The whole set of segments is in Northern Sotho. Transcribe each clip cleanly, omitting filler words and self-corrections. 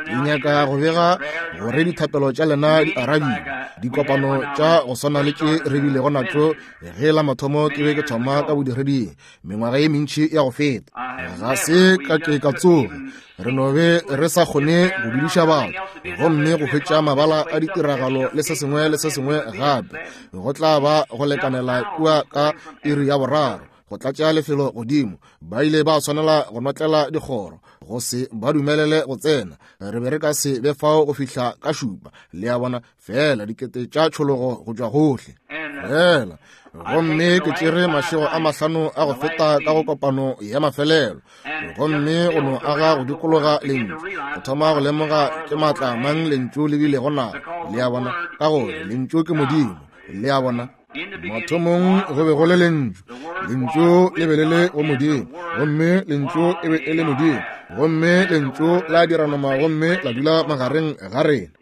Ke nyaka go bega gore dithapelo tša lena di arabiwe. Dikopano tša go swana le tše re bilego natšo ge la mathomo ke be ke thoma ka bodireding mengwaga ye mentši ya go feta. Ga se ka ke ka tsoge re no be re sa kgone go dudiša batho gomme go hwetša mabala a ditiragalo le se sengwe le se sengwe gape go tla ba go lekanela kua ka iri ya boraro go tlatša lefelo godimo. Ba ile ba swanela go notlela dikgoro go se ba dumelele go tsena. Re be re ka se be fao go fihla ka šupa, le a bona, feela dikete tša tšhologo go tšwa gohle feela. Gomme ke tšere mašego a mahlano a go feta ka go kopano ya mafelelo, gomme go no aga go dikologa lentšu, go thoma go lemoga ke maatla mang lentšu le bilego nago, le a bona, ka gore lentšu ke Modimo, le a bona. Mathomong go be go le lentšu, lentšu le be le le go Modimo, gomme lentšu e be e le Modimo, gomme lentšu la dira nama gomme la dula magareng ga rena.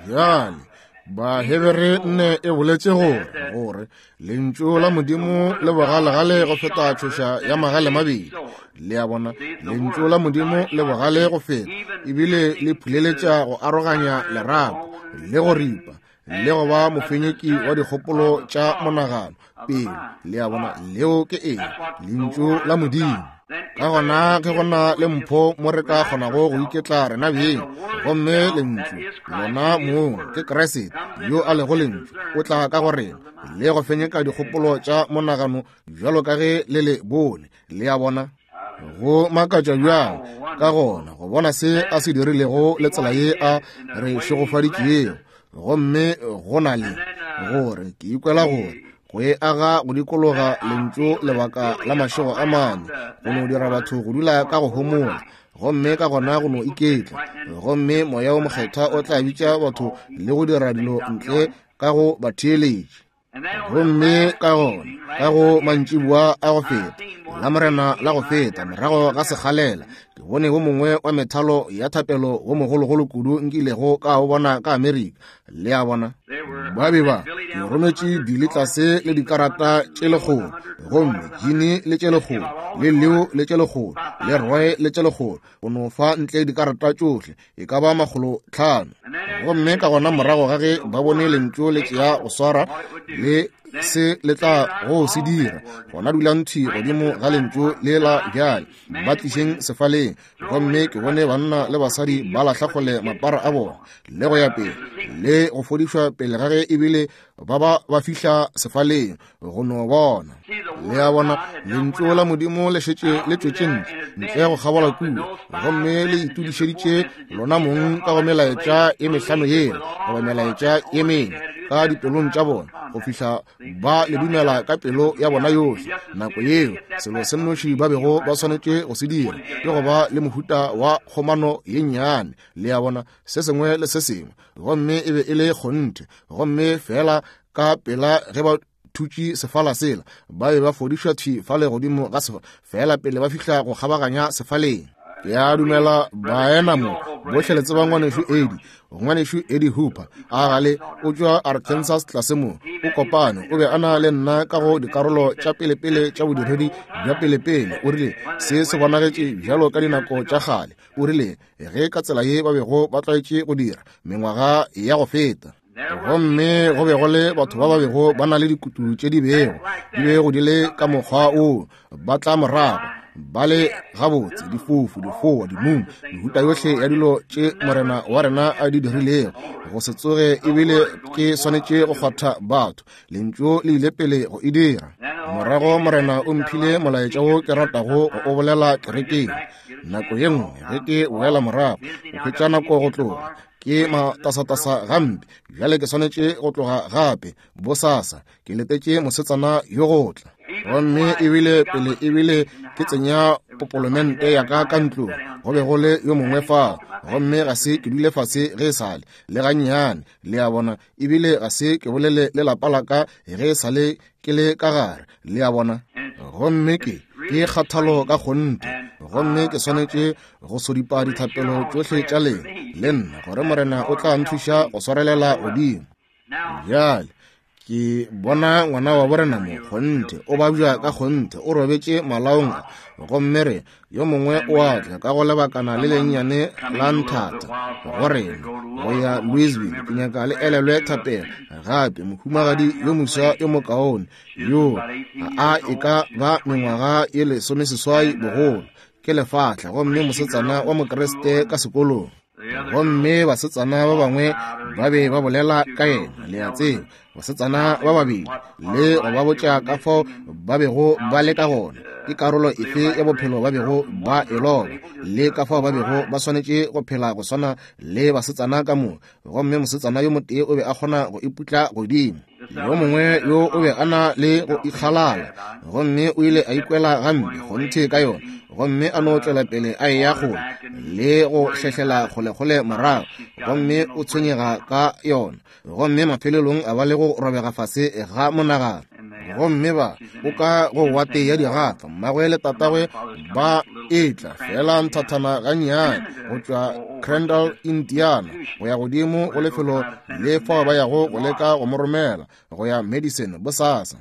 Bjale Bahebere nne e boletše gore, gore lentšu la Modimo le bogalegale go feta tšhoša ya magale mabedi. Le a bona, lentšu la Modimo le bogale go feta, ebile le phuleletša go aroganya lerapo le go ripa le go ba mofenyeki wa dikgopolo tša monagano pelo. Le a bona, leo ke eng? Lentšu la Modimo. Ka gona ge go na le mpho mo re ka kgonago go iketla rena beng, gomme lentšu lona mong ke Kriste yo a lego lentšu, o tla ka go rena le go fenyeka dikgopolo tša monagano bjalo ka ge le le bone. Le a bona, go makatša bjang ka gona go bona se a se dirilego le tsela ye a re šegofaditšego. Gomme go na le gore ke ikwela gore go e aga go dikologa lentšu lebaka la mašego a mane go no dira batho go dula ka go homola, gomme ka gona go no iketla, gomme Moya wo Mokgethwa o tla bitša batho le go dira dilo ntle ka go ba theeletše. Gomme ka gona ka go mantšiboa a go feta, la Morena la go feta, morago ga sekgalela, ke bone wo mongwe wa methalo ya thapelo wo mogologolo kudu nkilego ka o bona ka Amerika. Le a bona, ba be ba ke rometše Billy tlase le dikarata tše lekgolo, gomme Gene le tše lekgolo, le Leo le tše lekgolo, le Roy le tše lekgolo, go no fa ntle dikarata tšohle e ka ba 500. Gomme ka gona morago ga ge ba bone lentšu le tšea go swara le se le tla go se dira, gona dulang thwi godimo ga lentšu le la bjale, ba tlišeng sefaleng. Gomme ke bone banna le basadi ba lahla kgole mapara a bona le go ya pele le go fodišwa pele ga ge ebile ba ba ba fihla sefaleng go no bona. Le a bona, lentšu la Modimo le šetše le tšwetše ntle, ntle go kgabola kua, gomme le itudišeditše lona mong ka go melaetša ye mehlano yela, goba melaetša ye mene, ka dipelong tša bona, go fihla ba le dumela ka pelo ya bona yohle. Nako yeo, selo se nnoši ba bego ba swanetše go se dira ke go ba le mohuta wa kgomano ye nnyane, le a bona, se sengwe le se sengwe, gomme e be e le kgonthe. Gomme feela ka pela ge ba thutše sefala sela, ba be ba fodišwa thwi fale godimo ga sefa, feela pele ba fihla go kgabaganya sefaleng. Ke a dumela baena mo bohle le tseba ngwanešu Eddie, ngwanešu Eddie Hooper, a gale o tšwa Arkansas tlase mo, o kopane, o be a na le nna ka go dikarolo tša pelepele tša bodiredi bja pelepele. O rile se se bonagetše bjalo ka dinako tša kgale, o rile ge ka tsela ye ba bego ba tlwaetše go dira mengwaga ya go feta. Gomme go be go le batho ba ba bego ba na le dikutu tše di bego di bego di le ka mokgwa o, ba tla morago ba le gabotse, difofu, difoa, dimumu, mehuta yohle ya dilo tše Morena wa rena a di dirilego, go se tsoge ebile ke swanetše go kgwatha batho. Lentšu le ile pele go e dira. Morago Morena o mphile molaetša wo ke ratago go o bolela kerekeng. Nako ye nngwe ge ke boela morago go hwetša nako go tloga, ke matasatasa gampe. Bjale ke swanetše go tloga gape bosasa, ke letetše mosetsana yo go tla. Gomme ebile pele ebile ke tsenya popolomente ya ka ka ntlong, go be go le yo mongwe fao, gomme ga se ke dule fase ge e sale le gannyane, le a bona, ebile ga se ke bolele le lapa la ka ge e sale ke le ka gare, le a bona. Gomme ke kgathalo ka kgonthe, gomme ke swanetše go sodipa dithapelo tšohle tša lena le nna, gore Morena o tla nthuša go swarelela godimo. Bjale Ke bona ngwana wa borena mo, kgonthe, o babja ka kgonthe, o robetše malaong a. Gomme re, yo mongwe o a tla ka go lebakana le lennyane la nthata go rena go ya Louisville. Ke nyaka le elelwe thapelo gape. Mohumagadi yo moswa yo mokaone yo a e ka ba mengwaga ye 18 bogolo, ke lefahla, gomme mosetsana wa Mokriste ka sekolong. Gomme basetsana ba bangwe ba be ba bolela ka yena, le a tseba, basetsana ba babedi, le go ba botša ka fao ba bego ba le ka gona, ke karolo efe ya bophelo ba bego ba e loba, le ka fao ba bego ba swanetše go phela go swana le basetsana ka moka. Gomme mosetsana yo motee o be a kgona go iputla godimo, yo mongwe yo o be a na le go ikgalala, gomme o ile a ikwela gampe kgonthe ka yona, gomme a no tšwela pele a eya kgole le go hlehlela kgolekgole morago, gomme o tshwenyega ka yona, gomme mafelelong a ba le go robega fase ga monagano. Gomme ba o ka go wate ya digafa, mmagwe le tatagwe ba etla fela nthathana gannyane go tšwa Crandall, Indiana, go ya godimo go lefelo le fao ba yago go leka go mo romela go ya Madison bosasa.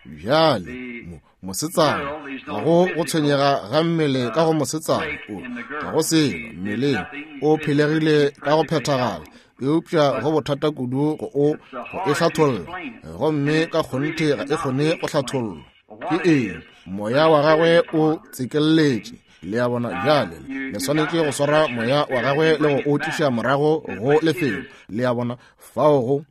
Bjale mosetsana, ga go go tshwenyega ga mmele ka go mosetsana, o ga go selo mmeleng, o phelegile ka go phethagala, eupša go bothata kudu go o go e hlatholla, gomme ka kgonthe ga e kgone go hlathollwa. Ke eng? Moya wa gagwe o tsekelletše. Le a bona? Bjale le swanetše go swara moya wa gagwe le go o tliša morago go lefelo. Le a bona? Fao go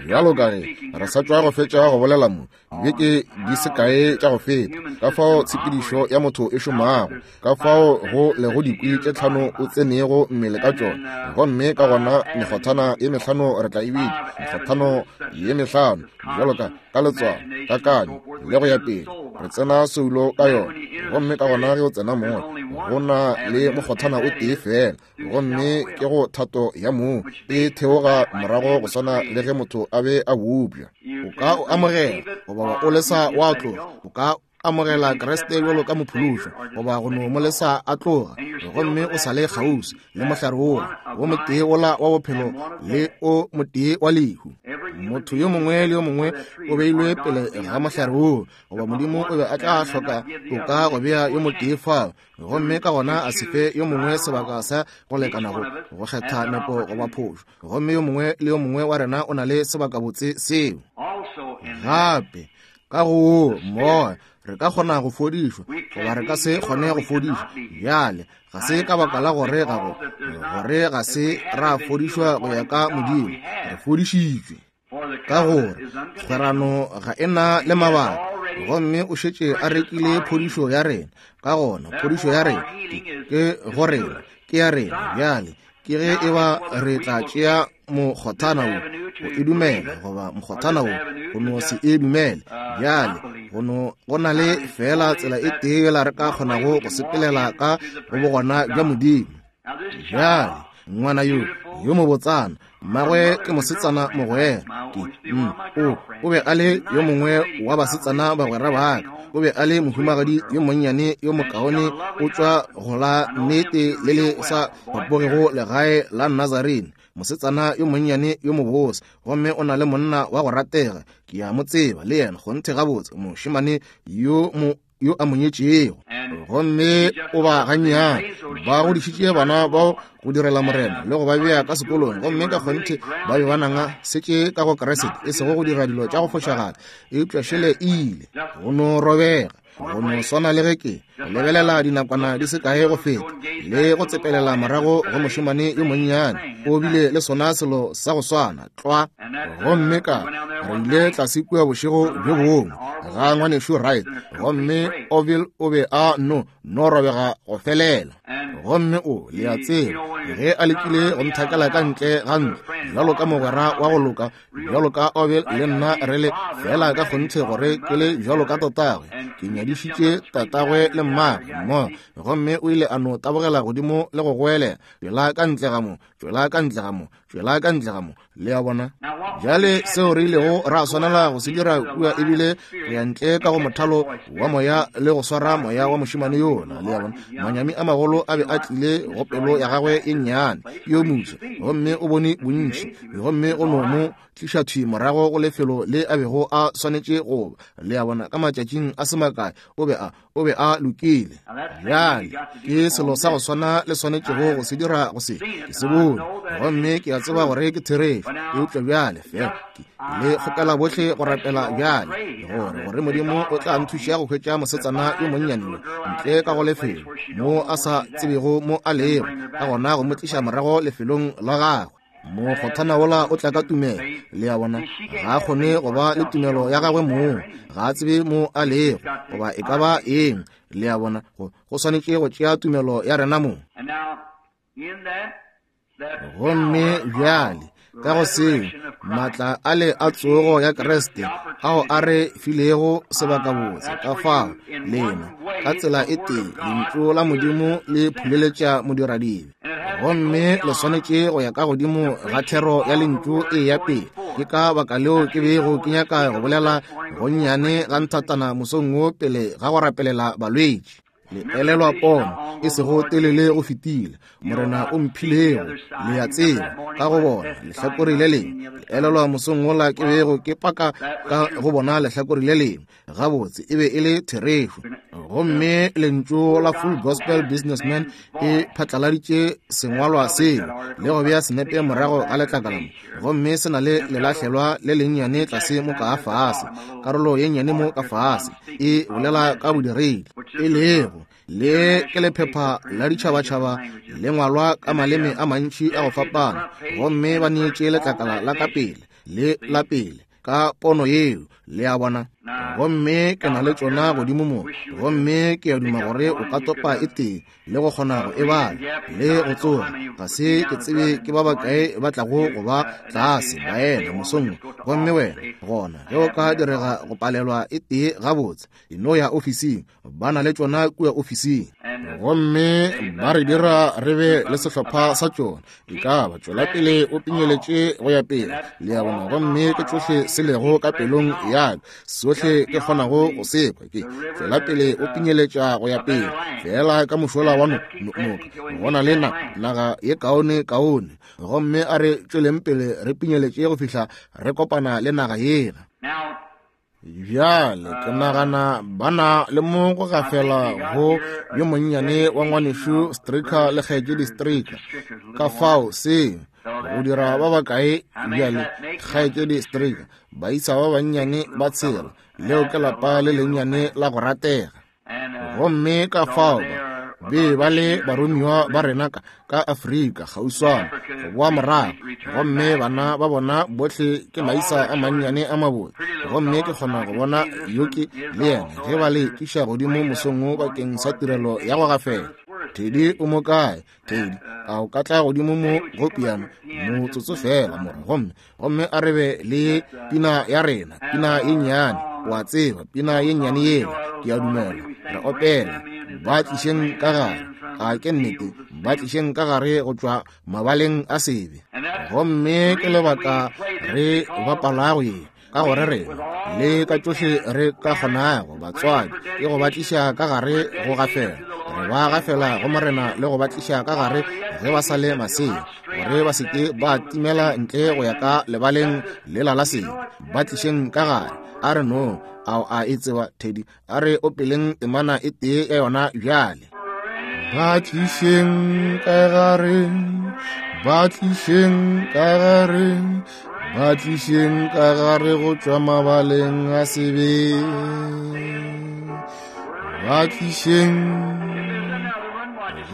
bjalo ka ge re sa tšwa go fetša go bolela mo beke di se kae tša go feta, ka fao tshepedišo ya motho e šomago, ka fao go lego dikwi tše tlhano o tsenego mmele ka tšona, gomme ka gona mekgothana ye mehlano re tla e bitša mekgothano ye mehlano, bjalo ka ka letswalo, kakanyo le go ya pele, re tsena soulo ka yona. Gomme ka gona ge o tsena moya, go na le mokgothana o tee fela, gomme ke go thato ya mong e theoga morago go swana le ge motho a be a bopša. O ka o amogela goba o lesa wa tloga, o ka amogela Kriste bjalo ka mophološwa goba go no mo lesa a tloga, gomme o sa le kgauswi le mohlare wola wo motee wola wa bophelo le o motee wa lehu. Motho yo mongwe le yo mongwe o beilwe pele ga mohlare woo, goba Modimo o be a tla hloka toka go bea yo motee fao, gomme ka gona a se fe yo mongwe sebaka sa go lekana go go kgetha nepo goba phošo. Gomme yo mongwe le yo mongwe wa rena o na le sebakabotse seo. Gape ka go wo moya re ka kgona go fodišwa goba re ka se kgone go fodišwa. Bjale ga se ka baka la gore ga go gore ga se ra fodišwa go ya ka Modimo, re fodišitšwe ka gore kgwerano ga e na le mabaka, gomme o šetše a rekile phodišo ya rena. Ka gona phodišo ya rena ke go rena, ke ya rena. Bjale ke ge e ba re tla tšea mokgothana wo go e dumela goba mokgothana wo go no se e dumele. Bjale go na le fela tsela e tee yela re ka kgonago go sepelela ka go bogona bja Modimo. Bjale ngwana yo yo mobotsana, mmagwe ke mosetsana mogwera, ke o be a le yo mongwe wa basetsana bagwera ba ka, o be a le mohumagadi yo monnyane yo mokaone, o tšwa go la nnete le le sa bapogego legae la Nazarene, mosetsana yo monnyane yo mobose, gomme o na le monna wa go ratega, ke a mo tseba le yena kgonthe gabotse, mošemane yo mo yo a mo nyetšego. Gomme o ba gannyane ba godišitše bana bao go direla Morena le go ba bea ka sekolong, gomme ka kgonthe ba be ba nanga setše ka go Kriste, e sego go dira dilo tša go fošagala, eupša šele e ile go no robega, go no swana le ge ke lebelela dinakwana di se kae go feta le go tsepelela morago go mošemane yo monnyane, o bile le sona selo sa go swana tlwa. Gomme ka re ile tlase kua bošego bjo bongwe ga ngwanešu Wright, gomme Orville o be a no no robega go felela. Gomme o, le a tseba, ge a lekile go nthakela ka ntle ga ntlo bjalo ka mogwera wa go loka, bjalo ka Orville le nna re le fela ka kgonthe gore ke le bjalo ka tatagwe, ke nyadišitše tatagwe le mmagwe mmogo. Gomme o ile a no tabogela godimo le go goelela, tšwela ka ntle ga mo, tšwela ka ntle ga mo. Tšwela ka ntle ga mo. Le a bona? Bjale seo re ilego ra swanela go se dira kua ebile go ya ntle ka go mothalo wa moya le go swara moya wa mošemane yola. Le a bona? Manyami a magolo a be a tlile go pelo ya gagwe e nnyane yo moswa, gomme o bone bontši, gomme go no mo tliša thwi morago go lefelo le a bego a swanetše go ba. Le a bona? Ka matšatšing a se makae o be a, o be a lokile. Bjale ke selo sa go swana le swanetšego go se dira go se, ke se bone, gomme ke a tseba gore ke therešo. Eupša bjale fela ke le kgopela bohle go rapela bjale, gore, gore Modimo o tla nthuša go hwetša mosetsana yo monnyane yo ntle ka go lefelo mo a sa tsebego mo a lego, ka gona go mo tliša morago lefelong la gagwe. Mokgothana wola o tla ka tumelo. Le a bona? Ga a kgone go ba le tumelo ya gagwe mong, ga a tsebe mo a lego goba e ka ba eng. Le a bona? Go, go swanetše go tšea tumelo ya rena mong. Gomme bjale ka go seo, maatla ale a tsogo ya Kriste ao a re filego sebakabotse, ka fao lena ka tsela e tee lentšu la Modimo le phuleletša modiradibe. Gomme le swanetše go ya ka godimo ga thero ya lentšu e ya pele. Ke ka baka leo ke bego ke nyaka go bolela gonnyane ga nthatana mosong wo pele ga go rapelela balwetši. Le elelwa pono e sego telele go fetile Morena o mphilego, le a tseba, ka go bona lehlakore le lengwe. Le elelwa mosong wola ke bego ke paka ka go bona lehlakore le lengwe. Gabotse, e be e le therešo. Gomme lentšu la Full Gospel Businessman e phatlaladitše sengwalwa seo le go bea senepe morago ga letlakala mo, gomme se na le lelahlelwa le lennyane tlase mo ka fase, karolo ye nnyane mo ka fase e bolela ka bodiredi, e lego le ke lephepha la ditšhabatšhaba le ngwalwa ka maleme a mantši a go fapana, gomme ba neetše letlakala la ka pele le la pele ka pono yeo. Le a bona? Gomme ke na le tšona godimo mo, gomme ke a duma gore o ka topa e tee le go kgona go e bala le go tsoga. Ga se ke tsebe ke ba bakae ba tlago go ba tlase baena mosong wo. Gomme wena gona ge o ka direga go palelwa e tee, gabotse, e no ya ofising, ba na le tšona kua ofising, gomme ba re dira re be le sehlopha sa tšona. E ka ba tšwela pele o pinyeletše go ya pele, le a bona, gomme ke tšohle se lego ka pelong ya ka, sohle ke kgonago go se kwa ke tšwela pele o pinyeletša go ya pele. Feela ka mošola wa noka go na le naga ye kaone kaone, gomme a re tšweleng pele re pinyeletše go fihla re kopana le naga yela. Bjale ke nagana ba na le mo go gafela go yo monnyane wa ngwanešu Stricker le kgaetšedi Stricker. Ka fao se go dira ba bakae bjale, kgaetšedi Stricker, baisa ba bannyane ba tshela, leo ke lapa le lennyane la go ratega. Gomme ka fao ba be ba le baromiwa ba rena ka, ka Afrika kgauswana go boa morago, gomme bana ba bona bohle ke maisa a mannyane a mabotse. Gomme ke kgona go bona yoke le yena ge ba le tliša godimo mosong wo bakeng sa tirelo ya go gafela. Teddy o mo kae? Teddy, a o ka tla godimo mo go piano motsotso feela, morwa? Gomme, gomme a re be le pina ya rena, pina ye nnyane, o a tseba, pina ye nnyane yela, ke a dumela, re opela, Ba tlišeng ka gare. A ke nnete? Ba tlišeng ka gare go tšwa mabaleng a sebe. Gomme ke lebaka re bapalago ye, ka gore rena le ka tšohle re ka kgonago, batswadi, ke go ba tliša ka gare go gafela. Re ba gafela go Morena le go ba tliša ka gare ge ba sa le masea, gore ba se ke ba timela ntle go ya ka lebaleng lela la sebe. Ba tlišeng ka gare. A re no, ao a e tseba, Teddy, a re opeleng temana e tee ya yona bjale. Ba tlišeng ka gare, ba tlišeng ka gare, ba tlišeng ka gare go tšwa mabaleng a sebe. Ba tlišeng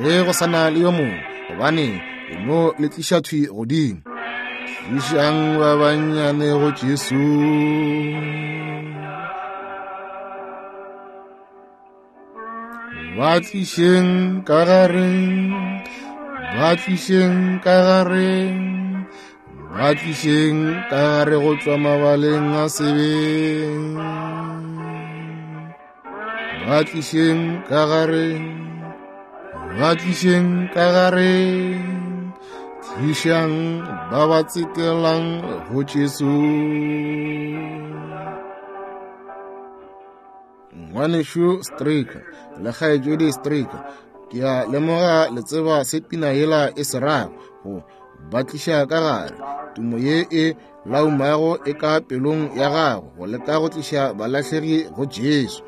ge go sa na le yo mongwe, gobane e no le tliša thwi godimo. Tlišang ba bannyane go Jesu. Ba tlišeng ka gare, ba tlišeng ka gare, ba tlišeng ka gare go tšwa mabaleng a sebeng. Ba tlišeng ka gare, ba tlišeng ka gare, Tlišang ba ba tsekelang go Jesu. Ngwanešu Stricker le kgaetšedi Stricker, ke a lemoga le tseba se pina yela e se rago, go ba tliša ka gare, tumo ye e laumago e ka pelong ya gago, go leka go tliša balahlegi go Jesu.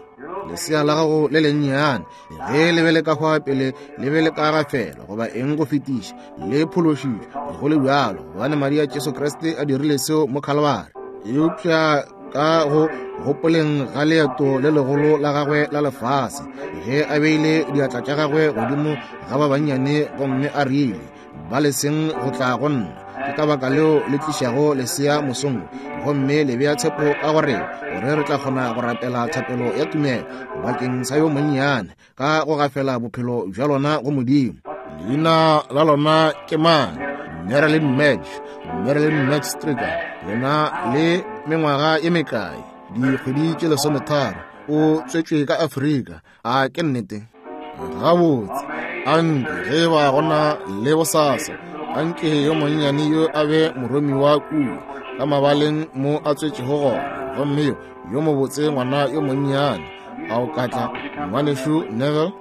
Lesea la gago le lennyane ge le be le ka hwa pele le be le ka gafela goba eng go fetiša, le phološitšwe go le bjalo, gobane madi a Jesu Kriste a dirile seo mo Khalibari. Eupša ka go gopoleng ga leeto le legolo la gagwe la lefase, ge a beile diatla tša gagwe godimo ga ba bannyane gomme a rile, ba leseng go tla go nna, ke ka baka leo le tlišago lesea mosong gomme le bea tshepo ka gore gore re tla kgona go rapela thapelo ya tumelo bakeng sa yo monnyane ka go gafela bophelo bja lona go Modimo. Leina la lona ke mang? Marilyn Madge, Marilyn Madge Stricker. Yena le mengwaga ye mekae? Dikgwedi tše 13. O tswetšwe ka Afrika. A ke nnete? Gabotse, anke ge ba gona le bosasa, anke yo monnyane yo a be moromiwa kua ka mabaleng mo a tswetšego gona, gomme yo yo mobotse ngwana yo monnyane a o ka tla, ngwanešu Neville.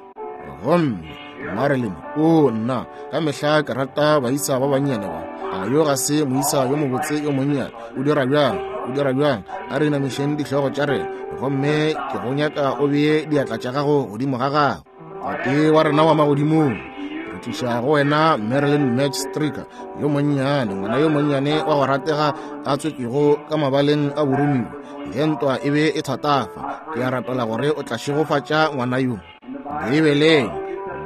Gomme Marilyn, o nna ka mehla ke rata baisa ba bannyane ba. A yo ga se moisa yo mobotse yo monnyane? O dira bjang? O dira bjang? A re inamišeng dihlogo tša rena, gomme ke go nyaka o bee diatla tša gago godimo ga gago. Tate wa rena wa magodimong, re tliša go wena Marilyn Madge Stricker yo monnyane, ngwana yo monnyane wa go ratega a tswetšwego ka mabaleng a boromiwa ge ntwa e be e thatafa. Ke a rapela gore o tla šegofatša ngwana yo. Beibeleng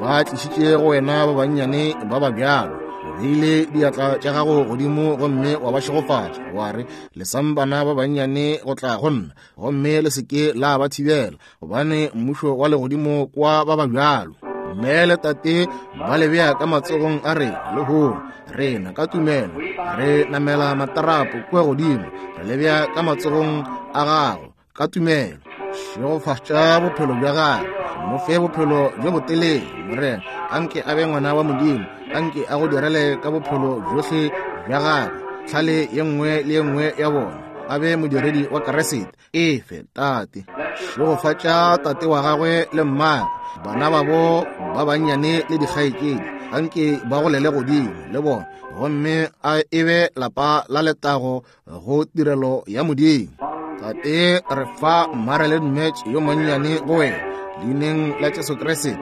ba tlišitše go wena ba bannyane ba ba bjalo, o beile diatla tša gago godimo gomme wa ba šegofatša, wa re, lesang bana ba bannyane go tla go nna, gomme le se ke la ba thibela, gobane mmušo wa legodimo kwa ba ba bjalo. Mme le tate ba le bea ka matsogong a rena lehono, rena ka tumelo re namela matarapo kua godimo, re le bea ka matsogong a gago ka tumelo. Šegofatša bophelo bja gagwe, mo fe bophelo bjo botelele, Morena. Anke a be ngwana wa Modimo, anke a go direle ka bophelo bjohle bja gagwe, tlhale ye nngwe le ye nngwe ya bona, a be modiredi wa Keresete. Efe, Tate. Šegofatša tate wa gagwe le mmagwe, bana babo ba bannyane le dikgaetšedi, anke ba golele godimo le bona, gomme a e be lapa la letago go tirelo ya Modimo. Tate, re fa Marilyn Madge yo monnyane go wena, leineng la Jesu Kriste,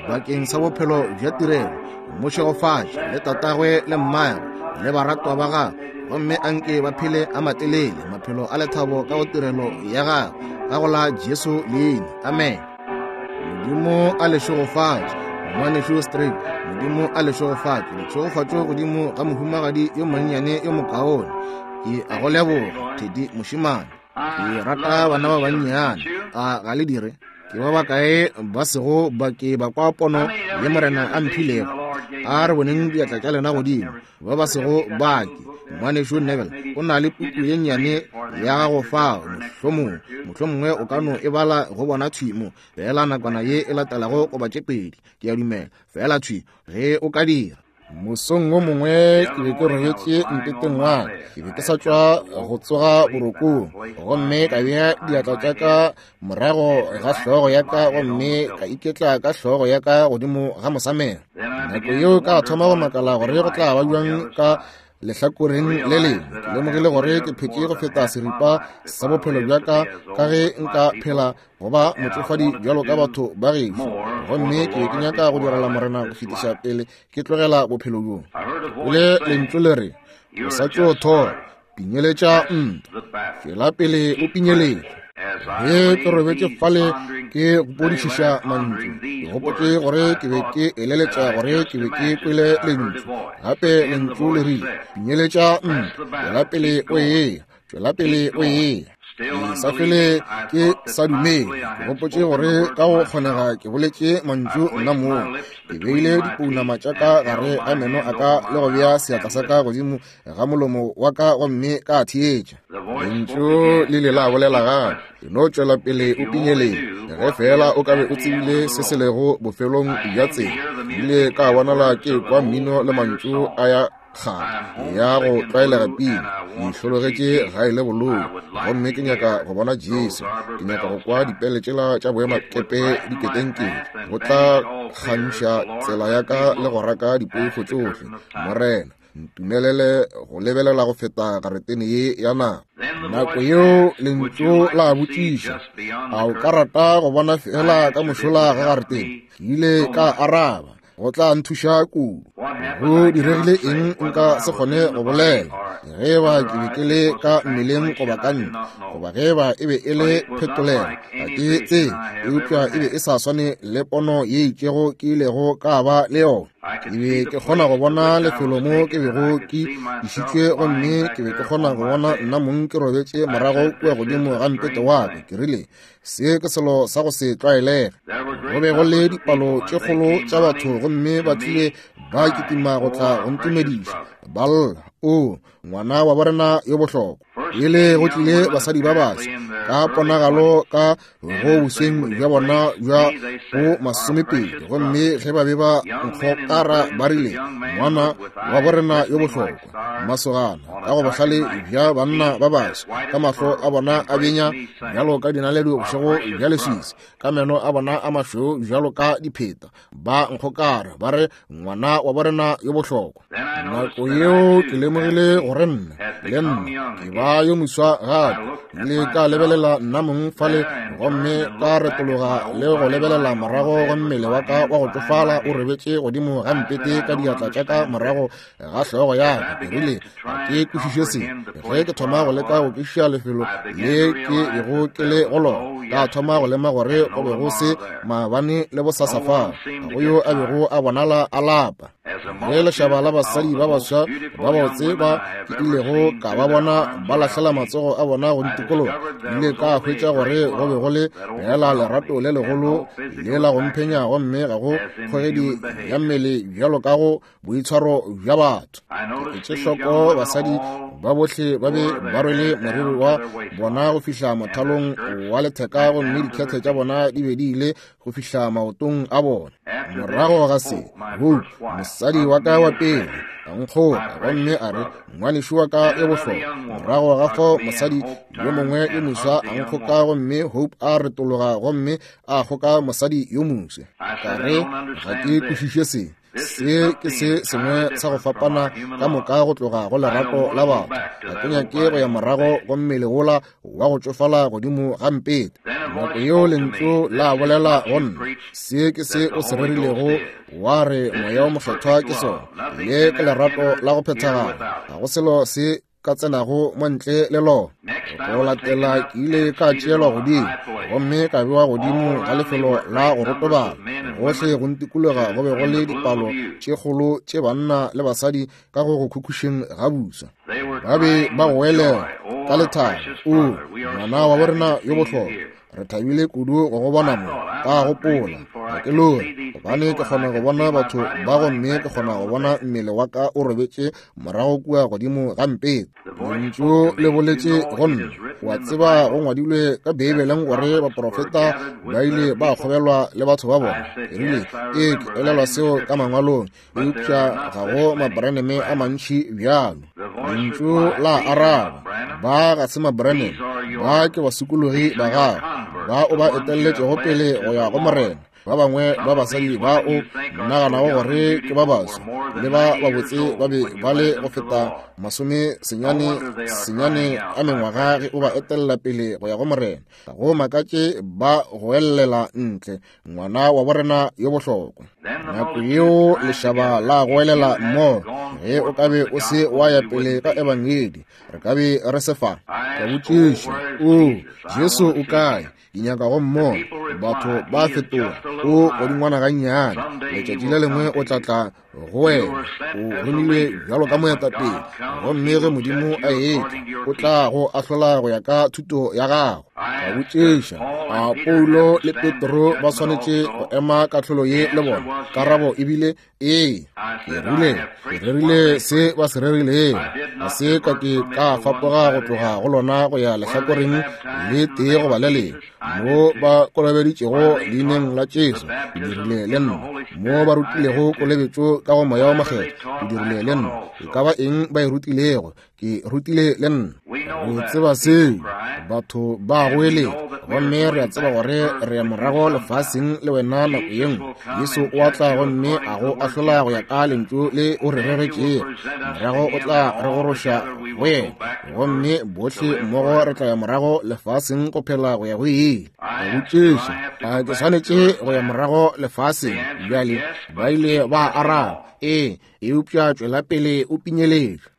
bakeng sa bophelo bja tirelo. Mo šegofatše le tatagwe le mmagwe le baratwa ba gagwe, gomme anke ba phele a matelele maphelo a lethabo ka go tirelo ya gagwe, ka go la Jesu leina. Amen. Modimo a le šegofatše, ngwanešu Street. Modimo a le šegofatše, ditšhegofatšo godimo ga mohumagadi yo monnyane yo mokaone. Ke a go leboga, Teddy mošemane. Ke rata bana ba bannyane, a ga le dire? Ke ba bakae ba sego ba ke ba kwa pono ye Morena a mphilego? A re boneng diatla tša lena godimo, ba ba sego ba ke. Ngwanešu Neville o na le puku ye nnyane ya gago fao, mohlomongwe, mohlomongwe o ka no e bala go bona thwi mo, feela nakwana ye e latelago goba tše pedi, ke a dumela, feela thwi ge o ka dira. Mosong wo mongwe ke be ke robetše mpeteng wa ka, ke be ke sa tšwa go tsoga borokong, gomme ka bea diatla tša ka morago ga hlogo ya ka gomme ka iketla ka hlogo ya ka godimo ga mosamelo. Nako yeo ka thoma go makala gore go tla ba bjang ka lehlakoreng le lengwe. Ke lemogile gore ke phetše go feta seripa sa bophelo bja ka ka ge nka phela go ba motšofadi bjalo ka batho ba gešo, gomme ke be ke nyaka go direla Morena go fetiša pele ke tlogela bophelo bjo. Le lentšu le re, o sa tšo thoma, pinyeletša ntwa, tšwela pele o pinyeletša. Ge ke robetše fale ke gopodišiša mantšu, ke gopotše gore ke be ke eleletša gore ke be ke kwele lentšu gape. Lentšu le rile, pinyeletša ntwa, tšwela pele o eya, tšwela pele o eya. Ke sa fele ke sa dumele, ke gopotše gore ka go kgonega ke boletše mantšu nna moo. Ke beile dipounama tša ka gare ga meno a ka le go bea seatla sa ka godimo ga molomo wa ka gomme ka theetša. Lentšu le ile la bolela gape, e no tšwela pele o pinyeletše, ge feela o ka be o tsebile se se lego bofelong bja tsela. Ke ile ka bonala ke kwa mmino le mantšu a ya. kgale ya go tlwaelega pina, Ke hlologetše gae le bolou, gomme ke nyaka go bona Jesu. Ke nyaka go kwa dipele tšela tša boemakepe di ketenkete. Go tla kgantšha tsela ya ka le go raka dipoifo tšohle. Morena, ntumelele go lebelela go feta garetene ye ya naga. Nako yeo lentšu la botšiša, a o ka rata go bona fela ka mošola ga garetene? Ke ile ka araba, go tla nthuša kudu. Go diregile eng nka se kgone go bolela, ge ba ke be ke le ka mmeleng goba ka ntle, goba ge ba e be e le phetolelo, ga ke tsebe, eupša e be e sa swane le pono ye itšego ke ilego ka ba le yona. Ke be ke kgona go bona lefelo mo ke bego ke išitšwe, gomme ke be ke kgona go bona nna mong ke robetše morago kua godimo ga mpete wa ka. Ke rile, Se ke selo sa go se tlwaelege. Go be go le dipalo tše kgolo tša batho, gomme ba tlile ba kitima go tla go ntumediša, ba lla, O, ngwana wa borena yo bohlokwa. Pele go tlile basadi ba baswa ka ponagalo ka go bosweng bja bona bja go masomepedi, gomme ge ba be ba nkgokara ba rile, Ngwana wa borena yo bohlokwa. Masogana ka go bohlale bja banna ba baswa, ka mahlo a bona a benya bjalo ka dinaledi bošego bja leswisi, ka meno a bona a mašweu bjalo ka dipheta, ba nkgokara ba re, Ngwana wa borena yo bohlokwa. Nako yeo ke lemogile gore nna le nna ke ba yo moswa gape. Ke ile ka lebelela nna mong fale, gomme ka retologa le go lebelela morago go mmele wa ka wa go tšofala o robetše godimo ga mpete ka diatla tša ka morago ga hlogo ya ka. Ke rile, ga ke kwešiše se. Ge ke thoma go leka go kwešiša lefelo le ke bego ke le go lona, ka thoma go lema gore go be go se maabane le bosasa fao, ga go yo a bego a bonala a lapa. Ge lešaba la basadi ba baswa ba botse ba ke ilego ka ba bona ba lahlela matsogo a bona go ntikologa, ke ile ka hwetša gore go be go le fela lerato le legolo le la go mphenya, gomme ga go kgogedi ya mmele bjalo ka go boitshwaro bja batho. Ke etše hloko basadi ba bohle ba be ba rwele moriri wa bona go fihla mothalong wa letheka, gomme dikhethe tša bona di be di ile go fihla maotong a bona. Morago ga se, Hope, mosadi wa ka wa pele, a nkgoka gomme a re, Ngwanešu wa ka yo bohlokwa. Morago ga fao mosadi yo mongwe yo moswa a nkgoka, gomme Hope a retologa gomme a kgoka mosadi yo moswa. Ka re, Ga ke kwešiše se. Se ke se sengwe sa go fapana ka moka go tloga go lerato la batho. Ga ke nyake go ya morago go mmele wola wa go tšofala godimo ga mpete. Nako yeo lentšu la bolela go nna, se ke se o se rerilego, wa re Moya wo Mokgethwa ke sona. Le ke lerato la go phethagala. Ga go selo se ka tsenago mo ntle le lona. Go latela ke ile ka tšeelwa godimo gomme ka bewa godimo ga lefelo la go rotobala. Gohle go ntikologa go be go le dipalo tše kgolo tše banna le basadi ka go go khukhušeng ga buswa. Ba be ba goelela ka lethabo, O, ngwana wa borena yo bohlokwa, re thabile kudu go go bona mo. Ka gopola, ga ke lore, gobane ke kgona go bona batho ba, gomme ke kgona go bona mmele wa ka o robetše morago kua godimo ga mpete. Lentšu le boletše go nna. Wa tseba, go ngwadilwe ka Beibeleng gore baprofeta ba ile ba kgobelwa le batho ba bona. Ke rile, Ee, ke elelwa seo ka Mangwalong, eupša ga go mabraneme a mantši bjalo. Lentšu la araba, Ba ga se mabraneme, ba ke basokologi ba gago, ba o ba etelletšego pele go ya go Morena. Ba bangwe ba basadi ba o naganago gore ke ba baswa le ba babotse ba be ba le go feta 99 a mengwaga ge o ba etelela pele go ya go Morena. Ga go makatše ba goellela ntle, Ngwana wa borena yo bohlokwa. Nako yeo lešaba la goelela mmogo, ge o ka be o se wa ya pele ka ebangedi, re ka be re se fa. Ka botšiša, O, Jesu o kae? Ke nyaka go mmona. Batho ba fetoga, o godingwana gannyane. Letšatši le lengwe o tla tla go wena. O romilwe bjalo ka moetapele, gomme ge Modimo a etla, o tla go ahlola go ya ka thuto ya gago. Ka botšiša, a Paulo le Petro ba swanetše go ema kahlolo ye le bona? Karabo e bile ee. Ke rile, ke rerile se ba se rerilego, ga se ka ke ka fapoga go tloga go lona go ya lehlakoreng le tee goba le lengwe. Mo ba kolobeditšego leineng la Jesu, ke dirile le nna. Mo ba rutilego kolobetšo ka go Moya wo Mokgethwa, ke dirile le nna. E ka ba eng ba e rutilego, ke rutile le nna. Re tseba seo, batho ba goeletša, gomme re a tseba gore re ya morago lefaseng le wena nako ye nngwe. Jesu o a tla gomme a go ahlola go ya ka lentšu le o re reretšego. Morago o tla re goroša go yena, gomme bohle mmogo re tla ya morago lefaseng go phela go ya go ile. Ka botšiša, a ke swanetše go ya morago lefaseng bjale? Ba ile ba araba, ee, eupša tšwela pele o pinyeletša.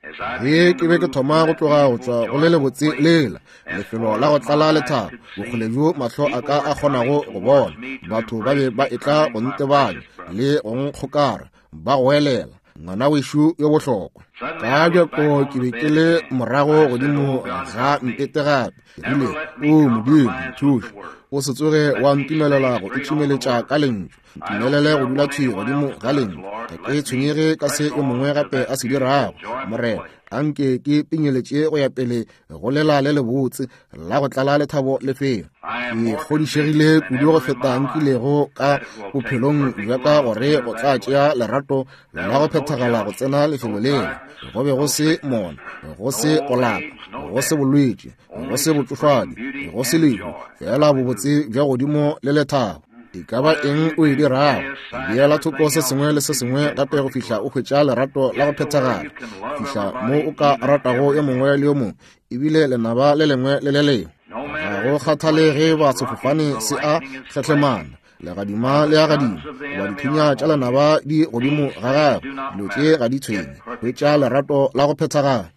Ge ke be ke thoma go tloga go tšwa go le lebotse lela, lefelo la go tlala lethabo, bokgole bjo mahlo a ka a kgonago go bona, batho ba be ba etla go ntebanya le go nkgokara, ba goelela, ngwana wešo yo bohlokwa. Ka bjako ke be ke le morago godimo ga mpete gape. Ke rile, O Modimo, nthuše. O se tsoge wa ntumelela go itšhimeletša ka lentšu. Ntumelele go dula thwi godimo ga lentšu. Ga ke tshwenyege ka se yo mongwe gape a se dirago. Morena, a nke ke pinyeletše go ya pele go lela le lebotse la go tlala lethabo lefelo. Ke kgodišegile kudu go feta nkilego ka bophelong bja ka gore go tla tšea lerato la go phethagala go tsena lefelo lela. Go be go se mona, go se go lapa, go se bolwetši, go se botšofadi, go se lehu, feela bobotse bja godimo le lethabo. E ka ba eng o e dirago, beela thoko se sengwe le se sengwe gape go fihla o hwetša lerato la go phethagala, fihla mo o ka ratago yo mongwe le yo mongwe, ebile lenaba le lengwe le le lengwe. Ga go kgathale ge ba sefofane se a hlahlemana, legadima le a gadima, goba dithunya tša lenaba di godimo ga gagwe, dilo tše ga di tshwenye. Hwetša lerato la go phethagala.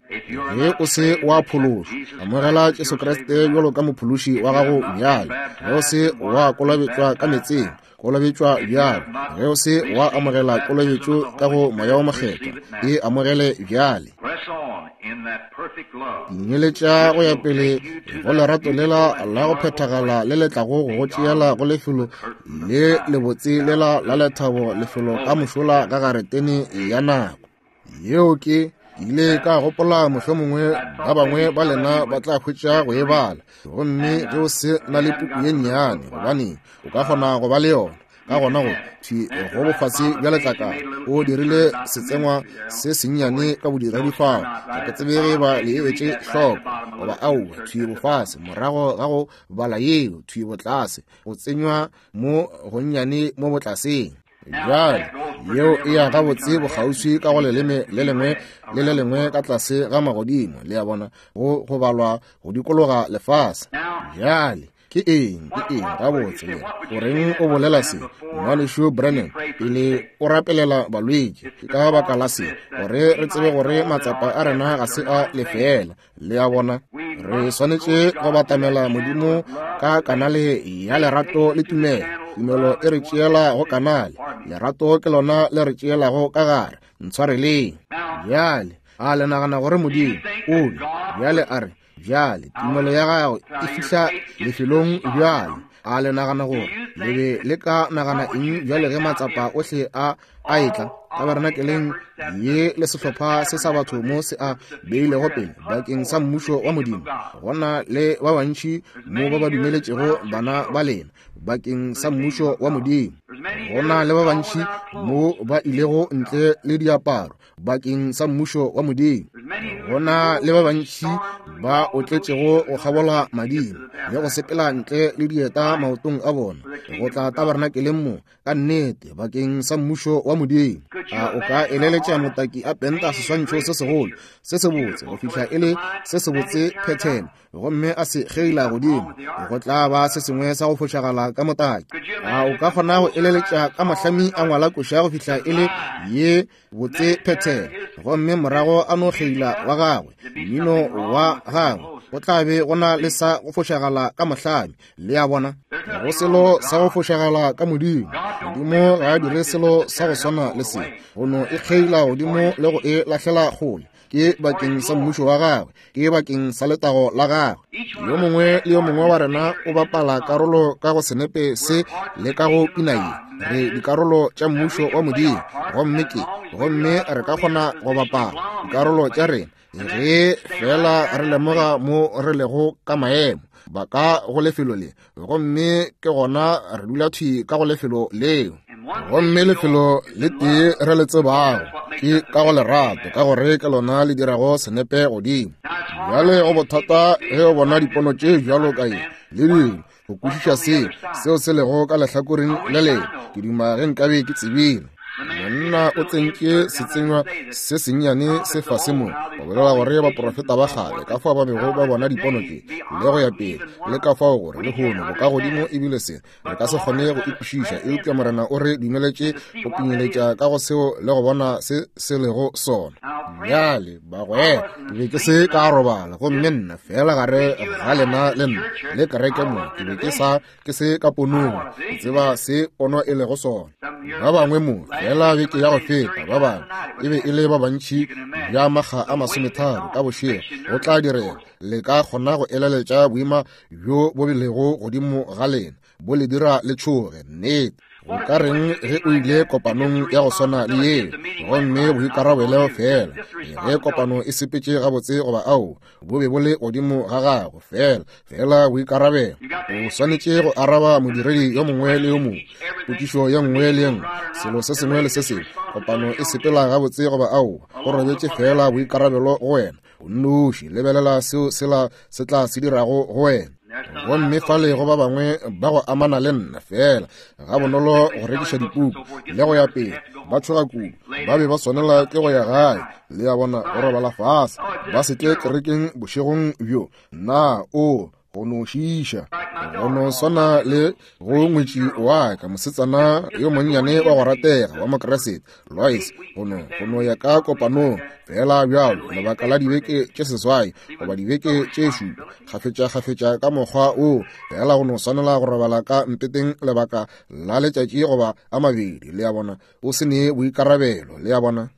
Ge o se wa phološwa, amogela Jesu Kriste bjalo ka mophološi wa gago bjale. Ge o se wa kolobetšwa ka meetseng, kolobetšwa bjale. Ge o se wa amogela kolobetšo ka go Moya wo Mokgethwa, e amogele bjale. Nyeletša go ya pele go lerato lela la go phethagala le le tlago go go tšeela go lefelo le lebotse lela la lethabo, lefelo ka mošola ga garetene ya nako. Yeo ke ile ka gopola mohlomongwe ba bangwe ba lena ba tla hwetša go e bala. Gomme ge o se na le puku ye nnyane, gobane o ka kgona go ba le yona. Ka gona go thwi go bofase bja letlakala o dirile setsengwa se sennyane ka bodiredi fao. Ga ke tsebe ge ba le etše hloko goba aowa. Thwi bofase morago ga go bala yeo, thwi botlase go tsenywa mo gonnyane mo botlaseng. Bjale yeo e ya gabotse bokgauswi ka go leleme le lengwe le le lengwe ka tlase ga magodimo, le a bona, go go balwa go dikologa lefase. Bjale ke eng, ke eng gabotse le goreng o bolela se, Ngwanešu Branham, pele o rapelela balwetši? Ke ka baka la se, gore re tsebe gore matsapa a rena ga se a lefeela. Le a bona, re swanetše go batamela Modimo ka kanale ya lerato le tumelo. Tumelo e re tšeela go kanale, lerato ke lona le re tšeelago ka gare. Ntshwareleng. Bjale, a le nagana gore Modimo o be bjale a re, bjale tumelo ya gago e fihla lefelong bjale? A le nagana gore le be le ka nagana eng bjale ge matsapa ohle a a etla tabernakeleng ye le sehlopha se sa batho mo se a beilego pele bakeng sa mmušo wa Modimo? Go na le ba bantši mo ba ba dumeletšego bana ba lena bakeng sa mmušo wa Modimo. Go na le ba bantši mo ba ilego ntle le diaparo bakeng sa mmušo wa Modimo. Go na le ba bantši ba otletšego go kgabola madimo le go sepela ntle le dieta maotong a bona go tla tabernakeleng mo, ka nnete bakeng sa mmušo wa Modimo. A o ka eleletša motaki a penta seswantšho se segolo se sebotse go fihla e le se sebotse phethene, gomme a se kgeila godimo? Go tla ba se sengwe sa go fošagala ka motaki. A o ka kgona go eleletša ka mohlami a ngwala koša go fihla e le ye botse phethene, gomme morago a no kgeila wa gagwe mmino wa gagwe? Go tla be go na le sa go fošagala ka mohlami. Le a bona, go selo sa go fošagala ka Modimo. Modimo ga a dire selo sa go swana le se, go no e kgeila godimo le go e lahlela kgole. Ke bakeng sa mmušo wa gagwe, ke bakeng sa letago la gagwe. Yo mongwe le yo mongwe wa rena o bapala karolo ka go senepe se le ka go pina ye. Re dikarolo tša mmušo wa Modimo, gomme ke, gomme re ka kgona go bapala dikarolo tša rena ge fela re lemoga mo re lego ka maemo ba ka go lefelo le, gomme ke gona re dula thwi ka go lefelo leo. Gomme lefelo le tee re le tsebago ke ka go lerato, ka gore ke lona le dirago senepe godimo. Bjale go bothata ge o bona dipono tše bjalo ka ye le dilo, go kwešiša se seo se lego ka lehlakoreng le lengwe. Ke duma ge nkabe ke tsebile. Monna o tsentše setsenywa se sennyane se fase mo go bolela gore baprofeta ba kgale ka fao ba bego ba bona dipono tše le go ya pele, le ka fao gore lehono bokagodimo ebile se re ka se kgone go ikwešiša, eupša Morena o re dumeletše go pinyeletša ka go seo le go bona se se lego sona. Bjale bagwera, ke be ke se ka robala, gomme nna fela gare ga lena le nna le kereke mo, ke be ke sa ke se ka ponong, ke tseba se pono e lego sona. Ba bangwe mo fela beke ya go feta, ba bangwe e be e le ba bantši bja makga a 30 ka bošego go tla direga. Le ka kgona go eleletša boima bjo bo bilego godimo ga lena, bo le dira le tšhoge. Nnete. Go ka reng ge o ile kopanong ya go swana le yeo, gomme boikarabelo fela ge kopano e sepetše gabotse goba ao, bo be bo le godimo ga gago fela, fela boikarabelo. O swanetše go araba modiredi yo mongwe le yo mongwe potšišo ye nngwe le ye nngwe, selo se sengwe le se sengwe. Kopano e sepela gabotse goba ao, go robetše fela boikarabelo go wena o nnoši. Lebelela seo sela se tla se dirago go wena. Gomme fale go ba bangwe ba go amana le nna fela ga bonolo go rekiša dipuku le go ya pele, ba tšhoga kudu, ba be ba swanela ke go ya gae, le ya bona, go robala fase, ba se tle kerekeng bošegong bjo. Na o go no šiša, go no swana le go ngwetši wa ka, mosetsana yo monnyane wa go ratega wa Mokriste, Lois, go no ya ka kopanong fela bjalo lebaka la dibeke tše 8 goba dibeke tše 7, kgafetša-kgafetša ka mokgwa o fela, go no swanela go robala ka mpeteng lebaka la letšatši goba a mabedi, le ya bona, o se ne boikarabelo, le ya bona.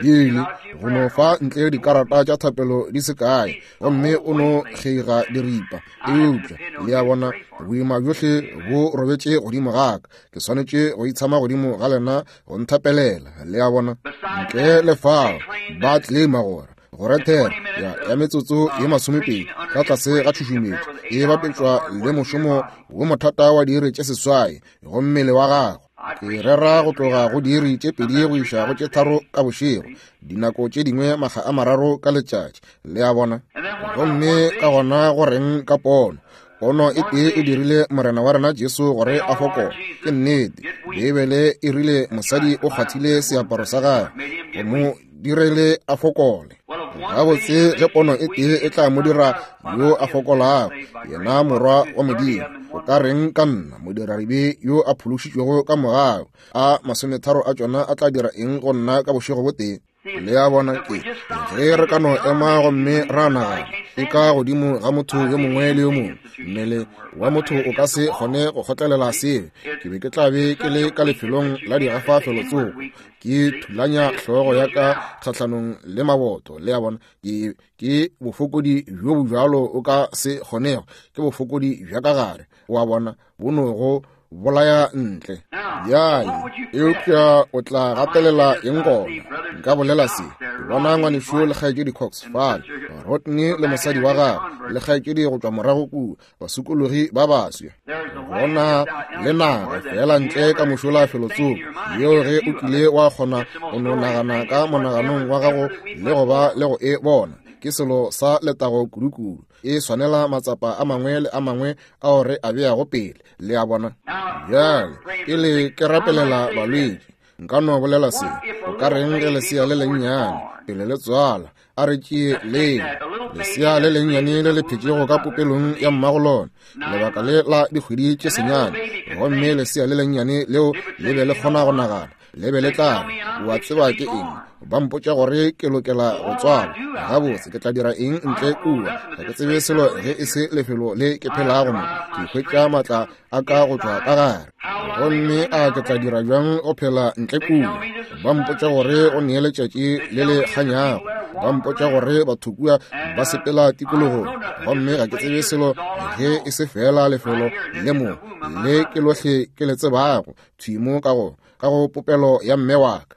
Billy go no fa ntle dikarata tša thapelo di se kae, gomme o no kgeiga diripa, eupša le ya bona, boima bjohle bo robetše godimo ga ka, ke swanetše go itshama godimo ga lena go nthapelela, le ya bona. Ntle le fao ba claima gore go rethera ya metsotso ye 20 ka tlase ga tšhušumetšo e bapetšwa le mošomo wo mothata wa diiri tše 8 go mmele wa gago. Ke rera go tloga go diiri tše 2 go iša go tše 3 ka bošego, dinako tše dingwe makga a 3 ka letšatši, le a bona. Gomme ka gona go reng ka pono? Pono e tee e dirile Morena wa rena Jesu gore a fokole. Ke nnete, Beibele e rile mosadi o kgwathile seaparo sa gagwe go mo direle a fokole. Gabotse ge pono e tee e tla mo dira yo a fokolago, yena morwa wa Modimo, o ka reng ka nna, modiradibe yo a phološitšwego ka mogau? A 30 a tšona a tla dira eng go nna ka bošego bo tee? Le a bona, ke ge re ka no ema gomme ra nagana e ka godimo ga motho yo mongwe le yo mongwe. Mmele wa motho o ka se kgone go kgotlelela seo. Ke be ke tla be ke le ka lefelong la digafa felotsoko, ke thulanya hlogo ya ka kgahlanong le maboto, le a bona. Ke bofokodi bjo bo bjalo o ka se kgonego, ke bofokodi bja ka gare, wa bona, bo no go bolaya ntle. Bjale, eupša o tla gatelela eng gona? Nka bolela se, ke bona ngwanešu le kgaetšedi Cox fale, Rodney le mosadi wa gagwe le kgaetšedi go tšwa morago kua, basokologi ba baswi. Gona le naga fela ntle ka mošola felotsoko yeo ge o kile wa kgona go no nagana ka monaganong wa gago le go ba le go e bona, ke selo sa letago kudukudu. E swanela matsapa a mangwe le a mangwe ao re a beago pele, le a bona. Bjale pele ke rapelela balwetši, nka no bolela se, o ka reng ge lesea le lennyane pele le tswala, a re tšee leo lesea le lennyane le le phetšego ka popelong ya mmago lona lebaka le la dikgwedi tše 9, gomme lesea le lennyane leo le be le kgona go nagana, le be le tla re, wa tseba ke eng, ba mpotša gore ke lokela go tswalwa, gabotse ke tla dira eng ntle kua, ga ke tsebe selo ge e se lefelo le ke phelago mo, ke hwetša maatla a ka go tšwa ka gare, gomme a ke tla dira bjang go phela ntle kua? Ba mpotša gore go nee letšatši le le kganyago, ba mpotša gore batho kua ba sepela tikologong, gomme ga ke tsebe selo ge e se fela lefelo le mo le ke lohle ke le tsebago, thwi mo ka go ka go popelo ya mme wa ka.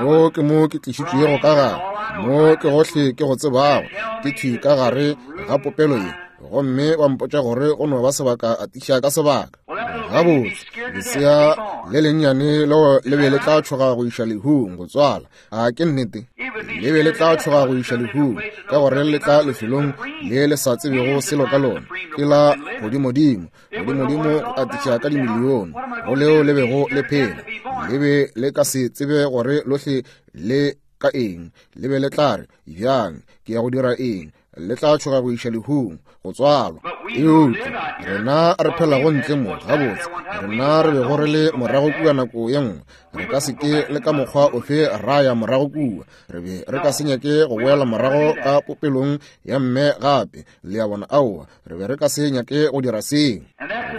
Mo ke mo ke tlišitšwego ka gare, mo ke gohle ke go tsebago, ke thwi ka gare ga popelo ye, gomme ba mpotša gore go no ba sebaka atiša ka sebaka. Gabotse, lesea le lennyane leo le be le tla tšhoga go iša lehung go tswala. A ke nnete? Le be le tla tšhoga go iša lehung, ka gore le tla lefelong le le sa tsebego selo ka lona. Ke la godimodimo, godimodimo go atiša ka dimilione go leo le bego le phela. Le be le ka se tsebe gore lohle le ka eng. Le be le tla re, Bjang, ke ya go dira eng? Le tla tšhoga go iša lehung, go tswalwa. Eupša rena re phelago ntle mo, gabotse, rena re bego re le morago kua nako ye nngwe, re ka se ke le ka mokgwa ofe ra ya morago kua. Re be re ka se nyake go boela morago ka popelong ya mme gape. Le a bona? Aowa, re be re ka se nyake go dira seo.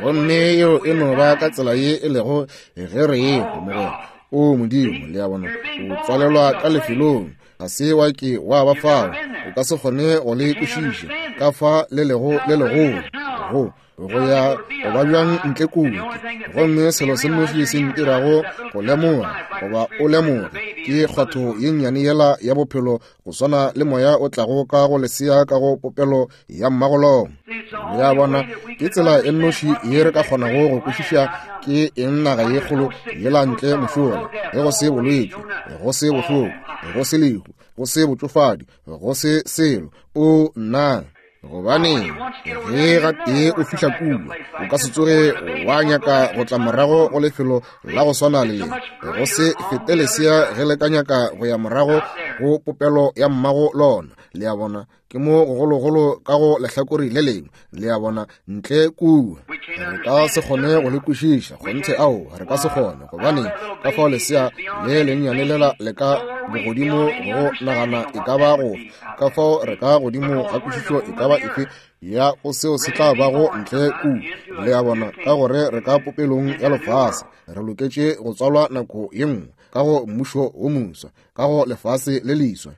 Gomme yeo e no ba ka tsela ye e lego ge re ehwa, mogwera. O Modimo, le a bona, o tswalelwa ka lefelong. Ga se wa ke wa ba fao, o ka se kgone go le kwešiša ka fa le lego le legolo go go ya go ba bjang ntle kua. Gomme selo se nnoši se ntirago go lemoga goba o lemoge ke kgwatho ye nnyane yela ya bophelo, go swana le moya o tlago ka go lesea ka go popelo ya mmagolong. Le a bona, ke tsela e nnoši ye re ka kgonago go kwešiša ke eng naga ye kgolo yela ntle mošola, ge go se bolwetši, go se bohloko, go se lehu, go se botšofadi, go se selo. O nna! Gobane ge gatee o fihla kua, o ka se tsoge wa nyaka go tla morago go lefelo la go swana le le. Go se fete lesea ge le ka nyaka go ya morago go popelo ya mmago lona. Le a bona, ke mo gogologolo ka go lehlakore le lengwe. Le a bona, ntle kua re ka se kgone go le kwešiša. Kgonthe, ao, re ka se kgone. Gobane ka fao lesea le lennyane lela le ka bogodimo go nagana e ka ba go ka fao re ka godimo ga kwešišo e ka ba efe ya go seo se tla bago ntle kua. Le a bona, ka gore re ka popelong ya lefase, re loketše go tswalwa nako ye nngwe ka go mmušo wo moswa, ka go lefase le leswa.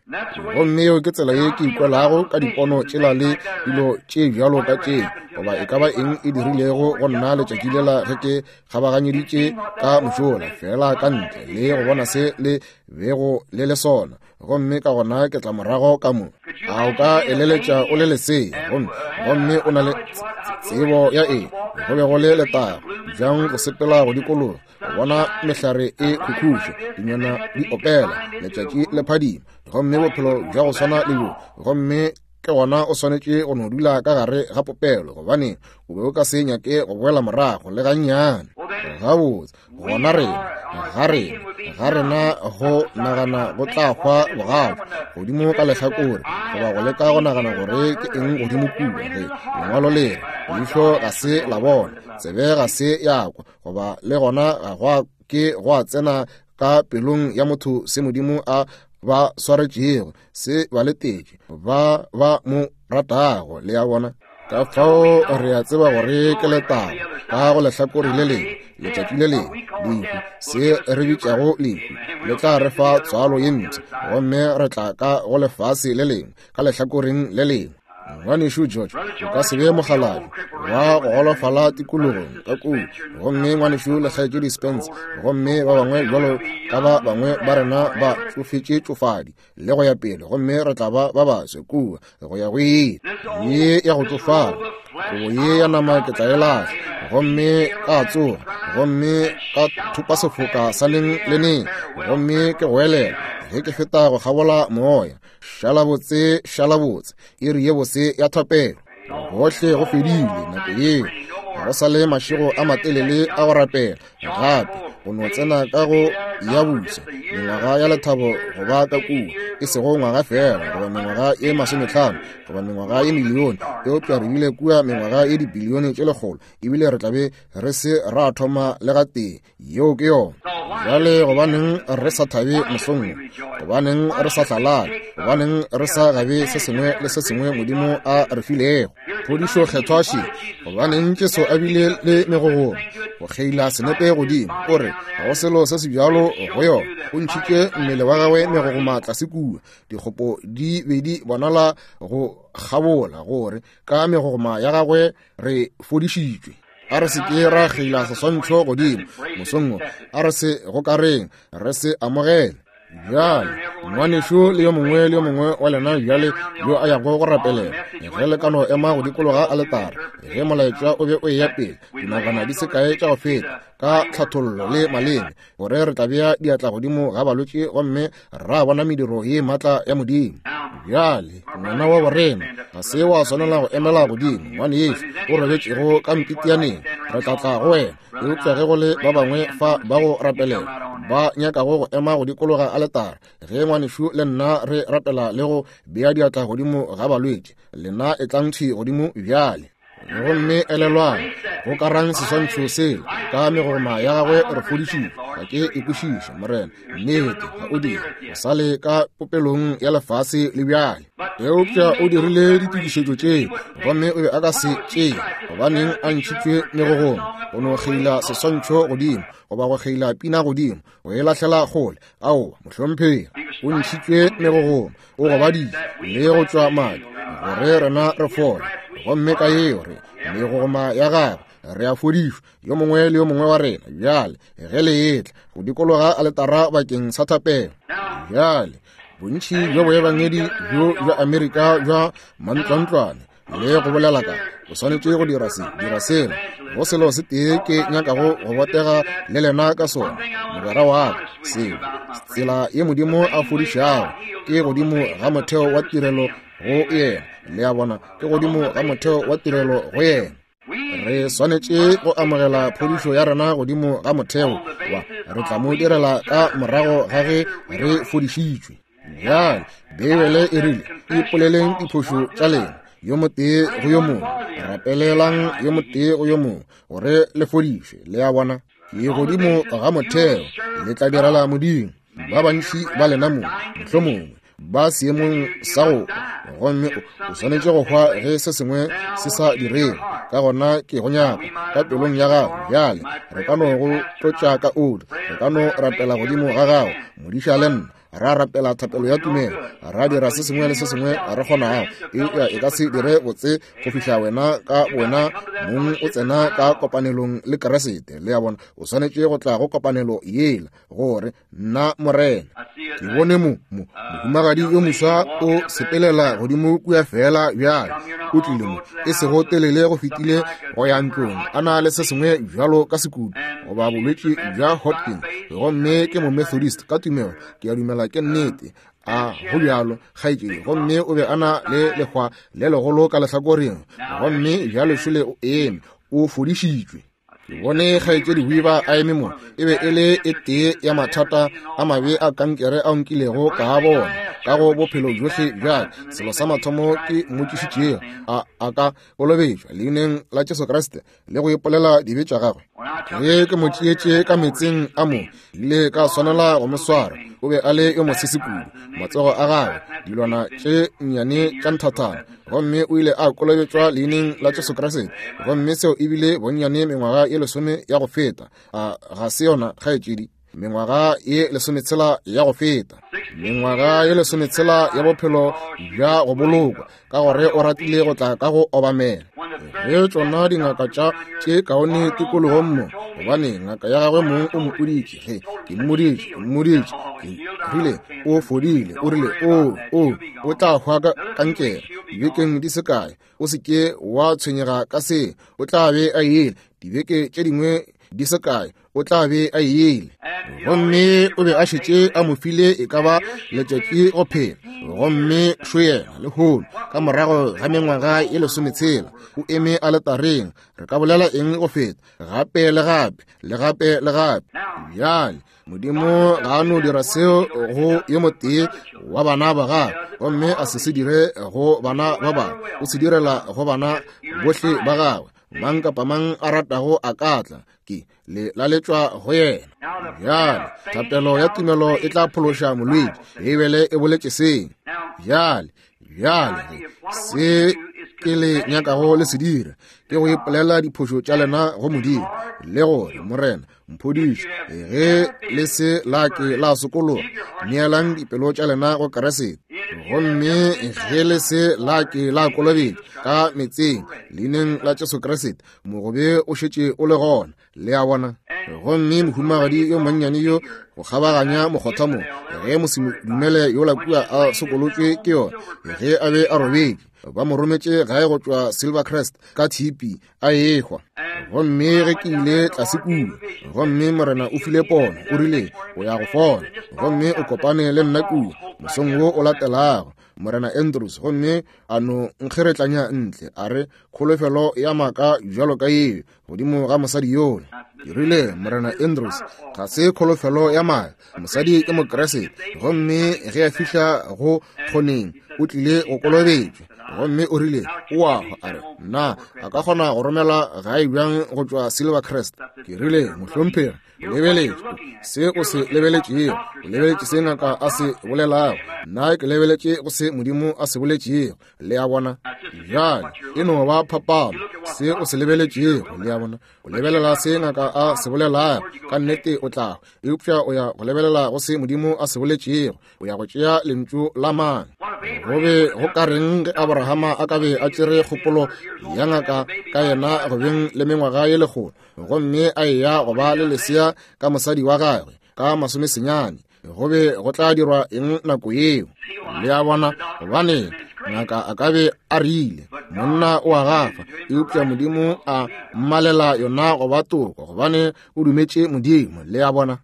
Gomme yeo ke tsela ye ke ikwelago ka dipono tšela le dilo tše bjalo ka tše, goba e ka ba eng e dirilego go nna letšatši lela ge ke kgabaganyeditše ka mošola, feela ka ntle le go bona se le bego le le sona. Gomme ka gona ke tla morago ka mo. A o ka eleletša o le lesea, gomme, gomme o na le tsebo ya eng? Go be go le letago bjang go sepela go dikologa, go bona mehlare e khukhuša, dinonyana di opela, letšatši le phadima, gomme bophelo bja go swana le bjo. Gomme ke gona o swanetše go no dula ka gare ga popelo, gobane o be o ka se nyake go boela morago le gannyane. Gabotse, gona rena, ga rena, ga rena go nagana go tla hwa bogato godimo ka lehlakore, goba go leka go nagana gore ke eng godimo kua. Ge lengwalo le re, leihlo ga se la bona, tsebe ga se ya kwa, goba le gona ga gwa ke gwa tsena ka pelong ya motho se Modimo a ba swaretšego, se ba letetše ba ba mo ratago. Le a bona? Ka fao re a tseba gore ke letago ka go lehlakore le lengwe, letšatši le lengwe, lehu, se re bitšago lehu, le tla re fa tswalo ye mpsha, gomme re tla ka go lefase le lengwe, ka lehlakoreng le lengwe. Ngwanešu George, o ka se be mokgalabje wa go golofala tikologong ka kua, gomme ngwanešu le kgaetšedi Spence, gomme ba bangwe bjalo ka ba bangwe ba rena ba tšofetše tšofadi le go ya pele, gomme re tla ba ba baswe kua go ya go ile. Ye ya go tšofala, kobo ye ya nama ke tla e lahla, gomme ka tsoga, gomme ka thopa sefoka sa neng le neng, gomme ke goelela ge ke feta go kgabola moya. Šala botse, šala botse, iri ye bose ya thapelo. Gohle go fedile nako yeo, ga go sa le mašego a matelele a go rapela gape, go no tsena ka go ya busa mengwaga ya lethabo go ba ka kua, e sego ngwaga fela goba mengwaga ye 50 goba mengwaga ye milione, eupša re bile kua mengwaga ye dibilione tše 100, ebile re tla be re se ra thoma le gatee. Yeo ke yona. Bjale gobaneng re sa thabe mosong wo? Gobaneng re sa hlalale? Gobaneng re sa gabe se sengwe le se sengwe Modimo a re filego? Phodišo kgethwa še. Gobaneng Jesu a bile le megogoma go kgeila senepe godimo? O re ga go selo se se bjalo go yona. O ntšhitše mmele wa gagwe megogoma tlase kua. Dikgopo di be di bonala go kgabola gore ka megogoma ya gagwe re fodišitšwe. A re se ke ra kgeila seswantšho godimo mosong wo, a re se gokareng, re se amogele. Bjale, Ngwanešu le yo mongwe le yo mongwe wa lena bjale yo a yago go rapelela, ge le ka no ema go dikologa aletara, ge molaetša o be o eya pele dinakwana di se kae tša go feta, ka tlhathollo le maleme, gore re tla bea diatla godimo ga balwetši gomme ra bona mediro ye maatla ya Modimo. Bjale ngwana wa borena ga se wa swanela go emela godimo, ngwane yešu o robetšego ka mpitianeng, re tla tla go wena. Eupša ge go le ba bangwe fa ba go rapelela ba nyakago go ema go dikologa aletara, ge ngwanešu le nna re rapela le go bea diatla godimo ga balwetši, lena etlang thwi godimo bjale. Gomme elelwang, go karang seswantšho sela, ka megoma ya gagwe re fodišitšwe. Ga ke e kwešiše, Morena, nnete ga o dire, o sa le ka popelong ya lefase le bjale. Eupša o dirile ditokišetšo tše, gomme o be a ka se tšee, gobaneng a ntšhitšwe megogoma, go no kgeila seswantšho godimo, goba go kgeila pina godimo, go e lahlela kgole. Aowa, mohlomphegi, o ntšhitšwe megogoma, o gobaditše le go tšwa madi, gore rena re fole. Gomme ka yeo re megogoma ya gagwe re a fodišwa, yo mongwe le yo mongwe wa rena. Bjale ge le etla go dikologa aletara bakeng sa thapelo, bjale bontši bja boebangedi bjo bja Amerika bja mantlwantlwane le go bolela ka o swanetše go dira se, dira sela, go selo se tee ke nyakago go botega le lena ka sona, mogwera wa ka, seo tsela ye Modimo a fodišago ke godimo ga motheo wa tirelo go yena. Le a bona, ke godimo ga motheo wa tirelo go yena. Re swanetše go amogela phodišo ya rena godimo ga motheo wa re tla mo direla ka morago ga ge re fodišitšwe. Bjale Beibele e rile, ipoleleng diphošo tša lena yo motee go yo mongwe, rapelelang yo motee go yo mongwe, gore le fodišwe. Le a bona, ke godimo ga motheo le tla direla Modimo. Ba bantši ba lena mo, mohlomongwe ba seemong sa go hwa, gomme o swanetše go hwa ge se sengwe se sa direge. Ka gona ke go nyaka ka pelong ya gago. Bjale re ka no go tlotša ka oli, re ka no rapela godimo ga gago, modiša le nna, ra rapela thapelo ya tumelo, ra dira se sengwe le se sengwe re kgonago, eupša e ka se dire botse go fihla wena ka wena mong o tsena ka kopanelong le Kriste. Le a bona, o swanetše go tla go kopanelo yela, gore nna Morena ke bone mo mo mohumagadi yo moswa o sepelela godimo kua fela bjale, o tlile mo e sego telele go fetile go ya ntlong, a na le se sengwe bjalo ka sekutu goba bolwetši bja Hodgkin, gomme ke mo-Methodist ka tumelo, ke a dumela ke nnete, a go bjalo kgaetšedi. Gomme o be a na le lehwa le legolo ka lehlakoreng, gomme bjalo šole o eme, o fodišitšwe. Ke bone kgaetšedi Weaver a eme mo, e be e le e tee ya mathata a mabe a kankere ao nkilego ka a bona ka go bophelo bjohle bja ka. Selo sa mathomo ke mmotšišitšego, a a ka kolobetšwa leineng la Jesu Kriste le go ipolela dibe tša gagwe. Ge ke mo tšeetše ka meetseng a mo, ile ka swanela go mo swara. O be a le yo mosese kudu, matsogo a gagwe, dilwana tše nnyane tša nthathana, gomme o ile a kolobetšwa leineng la Jesu Kriste. Gomme seo e bile bonnyane mengwaga ye lesome ya go feta. A ga se yona, kgaetšedi? Mengwaga ye lesometshela ya go feta, mengwaga ye lesometshela ya bophelo bja go bolokwa, ka gore o ratile go tla ka go obamela. Ge tšona dingaka tša tše kaone tikologong mo, gobane ngaka ya gagwe mong o mpoditše, ge ke mmoditše, ke mmoditše, ke rile o fodile, o rile o, o, o tla hwa ka kankere dibekeng di se kae, o se ke wa tshwenyega ka se, o tla be a ile dibeke tše dingwe di se kae, o tla be a ile. Gomme o be a šetše a mo file e ka ba letšatši go phela, gomme šo yena lehono ka morago ga mengwaga ye lesometshela o eme aletareng. Re ka bolela eng go feta gape le gape le gape le gape? Bjale Modimo ga a no dira seo go yo motee wa bana ba gagwe, gomme a se se dire go bana ba bangwe, o se direla go bana bohle ba gagwe. Mang kapa mang a ratago a ka tla, ke le laletšwa go yena. Bjale thapelo ya tumelo e tla phološa molwetši, Beibele e boletše seo. Bjale, bjale se ke le nyakago le se dira ke go ipolela diphošo tša lena go Modimo, le gore Morena mphodiše. Ge le se la ke la sokologa, neelang dipelo tša lena go Kriste. Gomme ge le se la ke la kolobetšwa ka meetseng leineng la Jesu Kriste, mogobe o šetše o le gona. Le a bona? Gomme mohumagadi yo monnyane yo go kgabaganya mokgotha mo, ge mosedumele yola kua a sokolotšwe ke yona, ge a be a robetše, ba mo rometše gae go tšwa Silvercrest ka tshipi, a ehwa. Gomme ge ke ile tlase kua, gomme Morena o file pono, o rile o ya go fola, gomme o kopane le nna kua mosong wo o latelago, Morena Andrews, gomme a no nkgeretlanya ntle, a re, kholofelo ya maaka bjalo ka yeo godimo ga mosadi yola. Ke rile, Morena Andrews, ga se kholofelo ya maaka, mosadi ke Mokriste, gomme ge a fihla go kgoneng o tlile go kolobetšwa. Gomme o rile, o a hwa. A re, na a ka kgona go romela gae bjang go tšwa Silvercrest? Ke rile, mohlomphegi, lebeletše se o se lebeletšego, o lebeletše se ngaka a se bolelago, nna ke lebeletše go se Modimo a se boletšego. Le a bona? Bjale e no ba phapano se o se lebeletšego. Le a bona? O lebelela se ngaka a se bolelago, ka nnete o tla, eupša o ya go lebelela go se Modimo a se boletšego. O ya go tšea lentšu la mang? Go be go ka reng ge Abrahama a ka be a tšere kgopolo ya ngaka ka yena go beng le mengwaga ye lekgolo, gomme a eya go ba le lesea ka mosadi wa gagwe ka masomesenyane? Go be go tla dirwa eng nako yeo? Le a bona? Gobane ngaka a ka be a rile monna o a gafa, eupša Modimo a mmalela yona go ba toko, gobane o dumetše Modimo. Le a bona?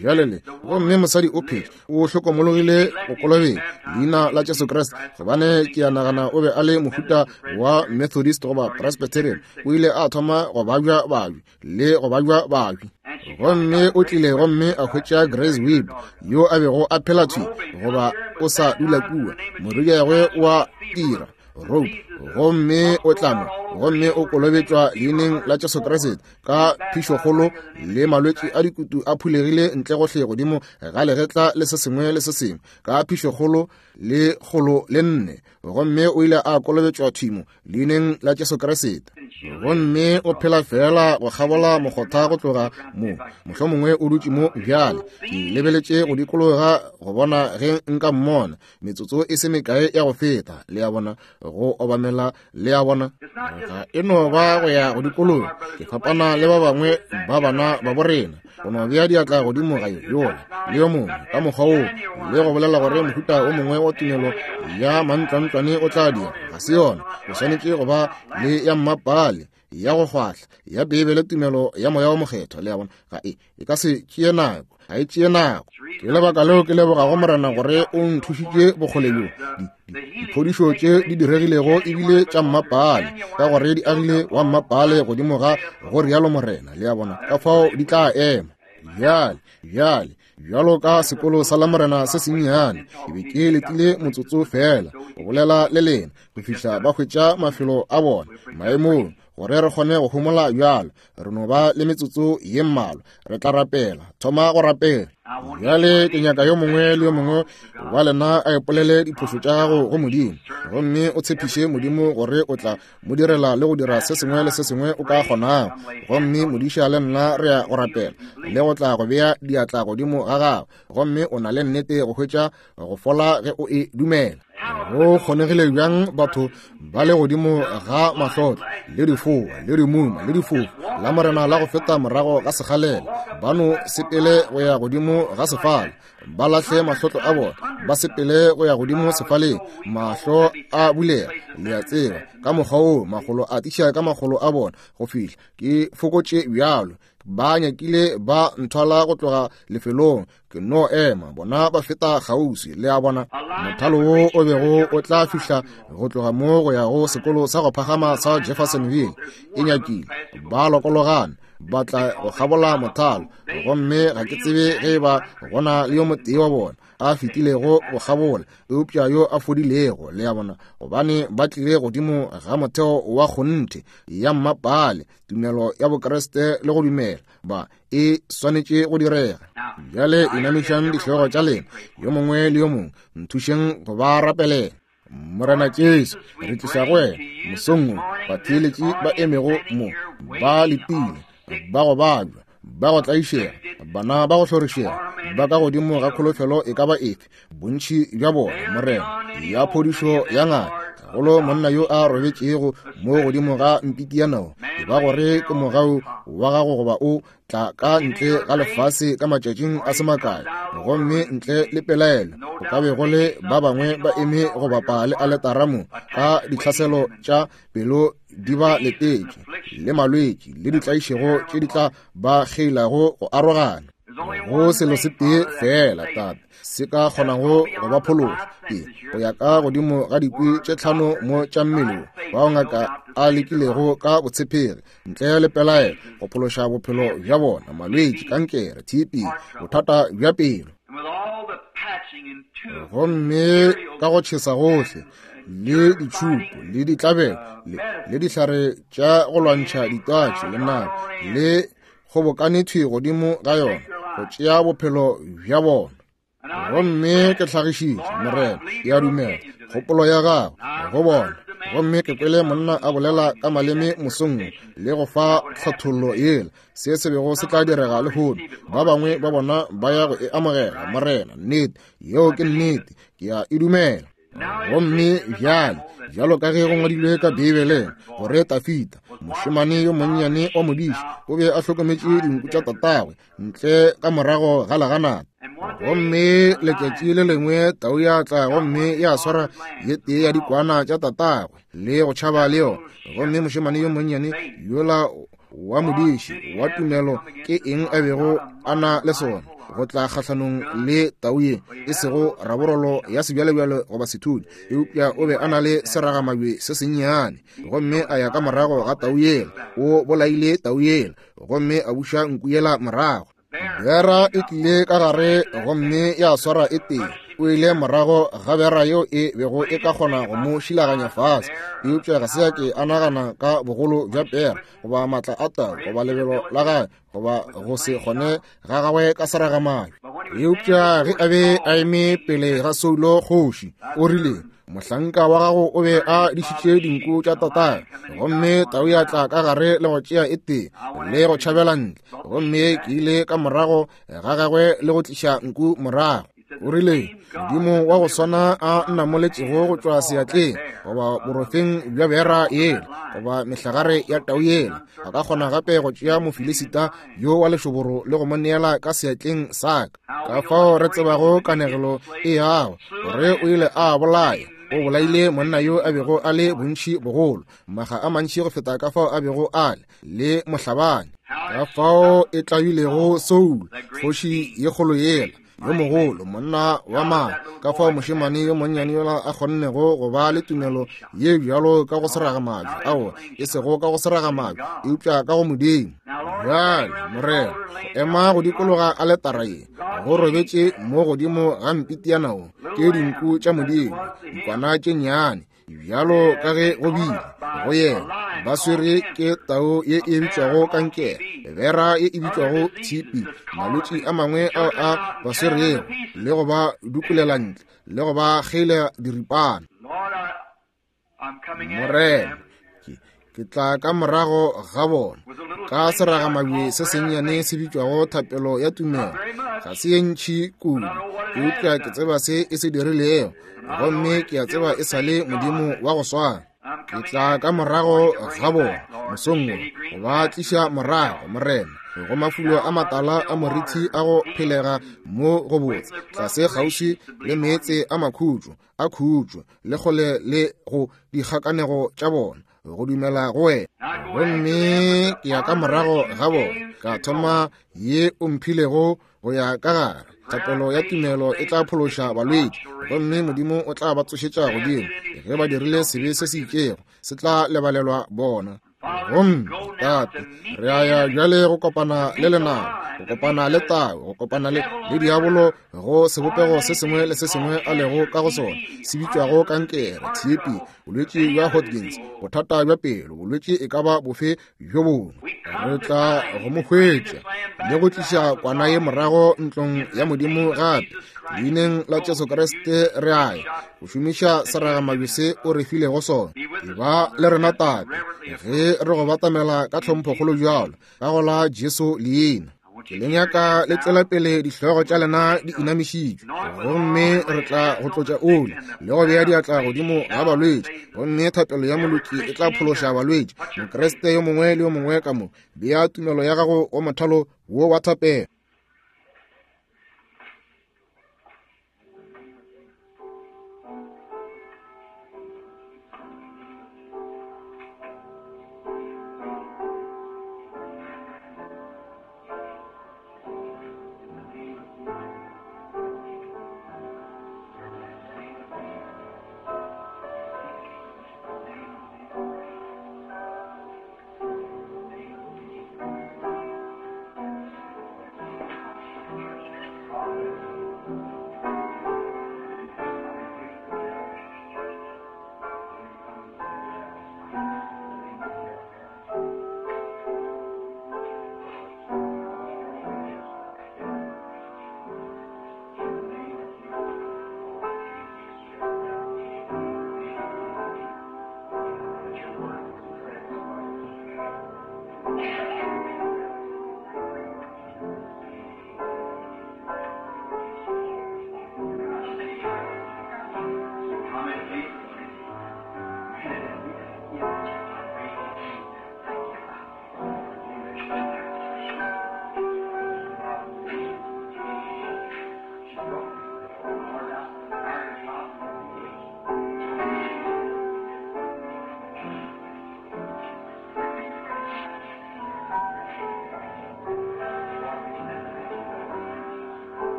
Bjale le, gomme mosadi o phetše, o hlokomologile go kolobetša leina la Jesu Kriste, gobane ke a nagana o be a le mohuta wa Methodist goba Presbyterian. O ile a thoma go babja babji le go babja babji, gomme o tlile gomme a hwetša Grace Webb yo a bego a phela thwi goba o sa dula kua, morwediagwe wa dira rope, gomme o tla mo gomme o kolobetšwa leineng la Jesu Kriste ka phišokgolo, le malwetši a dikutu a phulegile ntle gohle godimo ga legetla le se sengwe le se sengwe, ka phišokgolo le kgolo le nne, gomme o ile a kolobetšwa thwimo leineng la Jesu Kriste. Gomme o phela feela go kgabola mokgotha go tloga mo, mohlomongwe o dutše mo bjale. Ke lebeletše go dikologa go bona ge nka mmona metsotso e se mekae ya go feta. Le a bona, go obamela, le a bona, ga e no ba go ya go dikologa. Ke fapana le ba bangwe ba bana ba borena, go no bea diatla godimo ga yola le yo mongwe ka mokgwa woo, le go bolela gore mohuta o mongwe wa tumelo ya mantlwantlwane o tla dira. Ga se yona. O swanetše go ba le ya mmapale, ya go kgwahla, ya Beibele, tumelo ya Moya wo Mokgethwa. Le a bona? Ga e, e ka se tšee nako, ga e tšee nako. Ke lebaka leo ke lebogago Morena gore o nthušitše bokgole bjo. Diphodišo tše di diregilego ebile tša mmapale, ka gore di agile wa mmapale godimo ga go rialo Morena. Le a bona? Ka fao di tla ema. Bjale, bjale, bjalo ka sekolo sa Lamorena se sennyane, ke be ke letile motsotso feela go bolela le lena go fihla ba hwetša mafelo a bona maemong, gore re kgone go homola bjalo. Re no ba le metsotso ye mmalwa, re tla rapela. Thoma go rapela bjale. Ke nyaka yo mongwe le yo mongwe wa lena a ipolele diphošo tša gago go Modimo, gomme o tshepiše Modimo gore o tla mo direla le go dira se sengwe le se sengwe o ka kgonago. Gomme modiša le nna re ya go rapela le go tla go bea diatla godimo ga gago, gomme o na le nnete go hwetša go fola ge o e dumela. Go kgonegile bjang batho ba le godimo ga mahlotlo le difoa le dimuma le difofu la Morena la go feta morago ga sekgalela, ba no sepele go ya godimo ga sefala, ba lahle mahlotlo a bona, ba sepele go ya godimo sefaleng, mahlo a bulega, le a tseba, ka mokgwa woo makgolo a tiša ka makgolo a bona go fihla ke fokotše bjalo. Ba nyakile ba nthwala go tloga lefelong, ke no ema, bona ba feta kgauswi. Le a bona, mothalo wo o bego o tla fihla go tloga mo go ya go sekolo sa go phagama sa Jeffersonville, e nyakile ba lokologana, ba tla go kgabola mothalo, gomme ga ke tsebe ge e ba gona le yo motee wa bona a fetilego go kgabola eupša yo a fodilego. Le a bona, gobane ba tlile godimo ga motheo wa kgonthe ya mmapale, tumelo ya Bokriste le go dumela ba e swanetše go direga. Bjale inamišang dihlogo tša lena, yo mongwe le yo mongwe, nthušeng go ba rapelela. Morena Jesu, re tliša go wena mosong wo batheeletši ba emego mo, ba letile, ba go babja, ba go tlaišega, bana ba go hlorišega, ba ka godimo ga kholofelo e ka ba efe, bontši bja bona, Morena, ya phodišo ya ngaka. Gagolo monna yo a robetšego mo godimo ga mpiki ya nao, e ba gore ke mogau wa gago goba o tla ka ntle ga lefase ka matšatšing a se makae, gomme ntle le pelaelo go ka be go le ba bangwe ba eme go bapa le aletara mo ka ditlhaselo tša pelo di ba letetše, le malwetši le ditlaišego tše di tla ba kgeilago go arogana. Go selo se tee feela, Tate, se ka kgonago go ba phološa, ke go ya ka godimo ga dikwi tše tlhano mo tša mmele bao ngaka a lekilego ka botshepegi ntle le pelaelo go phološa bophelo bja bona, malwetši, kankere, TB, bothata bja pelo. Gomme ka go tšhesa gohle le ditšhupo le ditlabelo le dihlare tša go lwantšha ditwatši le nako le kgobokane thwi godimo ga yona go tšea bophelo bja bona. Gomme ke hlagišitše, Morena, ke a dumela kgopolo ya gago go bona. Gomme ke kwele monna a bolela ka maleme mosong wo, le go fa tlhathollo yela, se se bego se tla direga lehono. Ba bangwe ba bona ba ya go e amogela, Morena. Nnete, yeo ke nnete, ke a e dumela. Gomme bjale, bjalo ka ge go ngwadilwe ka Beibeleng, gore Tafita, mošemane yo monnyane wa modiši, o be a hlokometše dinku tša tatagwe ntle ka morago ga leganata. Gomme letšatši le lengwe tau ya tla gomme ya swara ye tee ya dikwana tša tatagwe le go tšhaba le yona. Gomme mošemane yo monnyane yola wa modiši wa tumelo, ke eng a bego a na le sona go tla kgahlanong le tau ye e sego raborolo ya sebjalebjale goba sethudi, eupša o be a na le seragamabje se sennyane, gomme a ya ka morago ga tau yela, o bolaile tau yela, gomme a buša nku yela morago. Bera e tlile ka gare gomme ya swara e tee. O ile morago ga bera yeo e bego e ka kgona go mo šilaganya fase, eupša ga se a ke a nagana ka bogolo bja pera goba maatla a tau goba lebelo la gagwe goba go se kgone ga gagwe ka seragamabje. Eupša ge a be a eme pele ga Saulo kgoši, o rile, Mohlanka wa gago o be a dišitše dinku tša tatagwe, gomme tau ya tla ka gare le go tšea e tee le go tšhabela ntle, gomme ke ile ka morago ga gagwe le go tliša nku morago. O rile, Modimo wa go swana a nnamoletšego go tšwa seatleng goba borofeng bja bera yela goba mehlagare ya tau yela, a ka kgona gape go tšea Mofilisita yo wa lešoboro le go mo neela ka seatleng sa ka. Ka fao re tsebago kanegelo e yago gore o ile a bolaya, o bolaile monna yo a bego a le bontši bogolo, maga a mantši go feta ka fao a bego a le, le mohlabani. Ka fao e tlabilego Saul, kgoši ye kgolo yela, yo mogolo, monna wa maatla, ka fao mošemane yo monnyane yola a kgonnego go ba le tumelo ye bjalo ka go seraga majwe, aowa, e sego ka go seraga majwe, eupša ka go Modimo. Bjale, Morena, go ema go dikologa aletara ye, go robetše mo godimo ga mpitiana wo, ke dinku tša Modimo, dikwana tše nnyane, bjalo ka ge go bile go yena, ba swere ke tau ye e bitšwago kankere, bera ye e bitšwago tshipi, malwetši a mangwe ao a ba swerego, le go ba dukulela ntle, le go ba kgeila diripana. Morena, ke tla ka morago ga bona ka seragamabje se sennyane se bitšwago thapelo ya tumelo. Ga se ye ntši kudu, eupša ke tseba se e se dirilego, gomme ke a tseba e sa le Modimo wa go swana. Ke tla ka morago ga bona mosong wo go ba tliša morago, Morena, go mafulo a matala a morithi a go phelega mo go botse, tlase kgauswi le meetse a makhutšo a khutšo le kgole le go dikgakanego tša bona go dumela go wena. Gomme ke ya ka morago ga bona ka thoma ye o mphilego go ya ka gare. Thapelo ya tumelo e tla phološa balwetši, gomme Modimo o tla ba tsošetša godimo. Ge ba dirile sebe se se itšego, se tla lebalelwa bona. Gomme Tate, re a ya bjale go kopana le lenaba, go kopana le tau, go kopana le diabolo go sebopego se sengwe le se sengwe a lego ka go sona, se bitšwago kankere, tshipi, bolwetši bja Hodgkins, bothata bja pelo, bolwetši e ka ba bofe bjo bongwe. Re tla go mo hwetša le go tliša kwana ye morago ntlong ya Modimo gape. Leineng la Jesu Kriste re a ya go šomiša seragamabje se o re filego sona. E ba le rena Tate ge re go batamela ka tlhomphokgolo bjalo ka go la Jesu leina. Ke le nyaka le tswela pele dihlogo tša lena di inamišitšwe, gomme re tla go tlotša oli le go bea diatla godimo ga balwetši, gomme thapelo ya moloki e tla phološa balwetši. Mokriste yo mongwe le yo mongwe ka mo, bea tumelo ya gago go mothalo wo wa thapelo.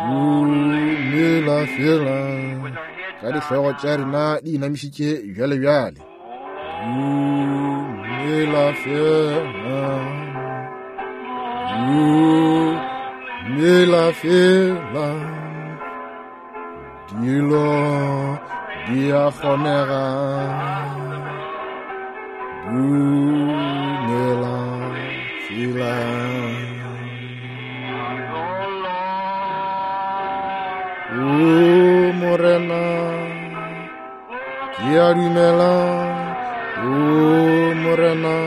Dumela fela ka dihlogo tša rena di inamišitše bjale bjale. Dumela fela, dumela fela, dilo di a kgonega. Dumela fela. O Morena, ke a dumela. O Morena,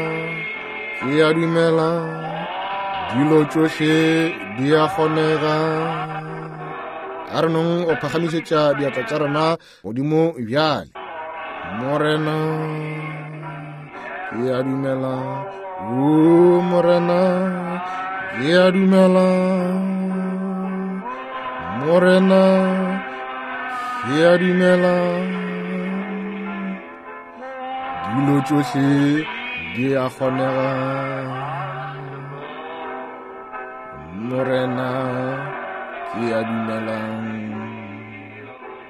ke a dumela. Dilo tšohle di a kgonega. A re nong o phagamišetša diatla tša rena godimo bjale. Morena, ke a dumela. O Morena, ke a dumela. Morena, ke a dumela. Dilo tšohle di a kgonega. Morena, ke a dumela.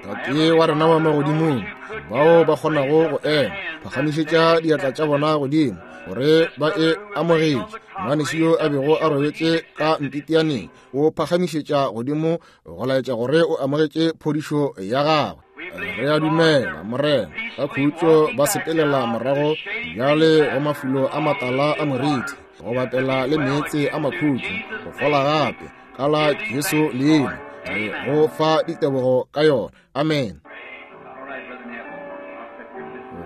Tate wa rena wa magodimong, bao ba kgonago go ema, phagamišetša diatla tša bona godimo gore ba e amogetše. Ngwanešu yo a bego a robetše ka mpitianeng o phagamišetša godimo go laetša gore o amogetše phodišo ya gagwe. Re a dumela, Morena, ka khutšo ba sepelela morago bjale go mafulo a matala a moriti, go bapela le meetse a makhutšo, go fola gape ka la Jesu leina. Re go fa ditebogo ka yona. Amen.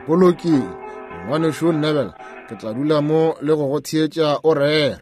Go lokile, Ngwanešu Neville, ke tla dula mo le go go theetša o rera.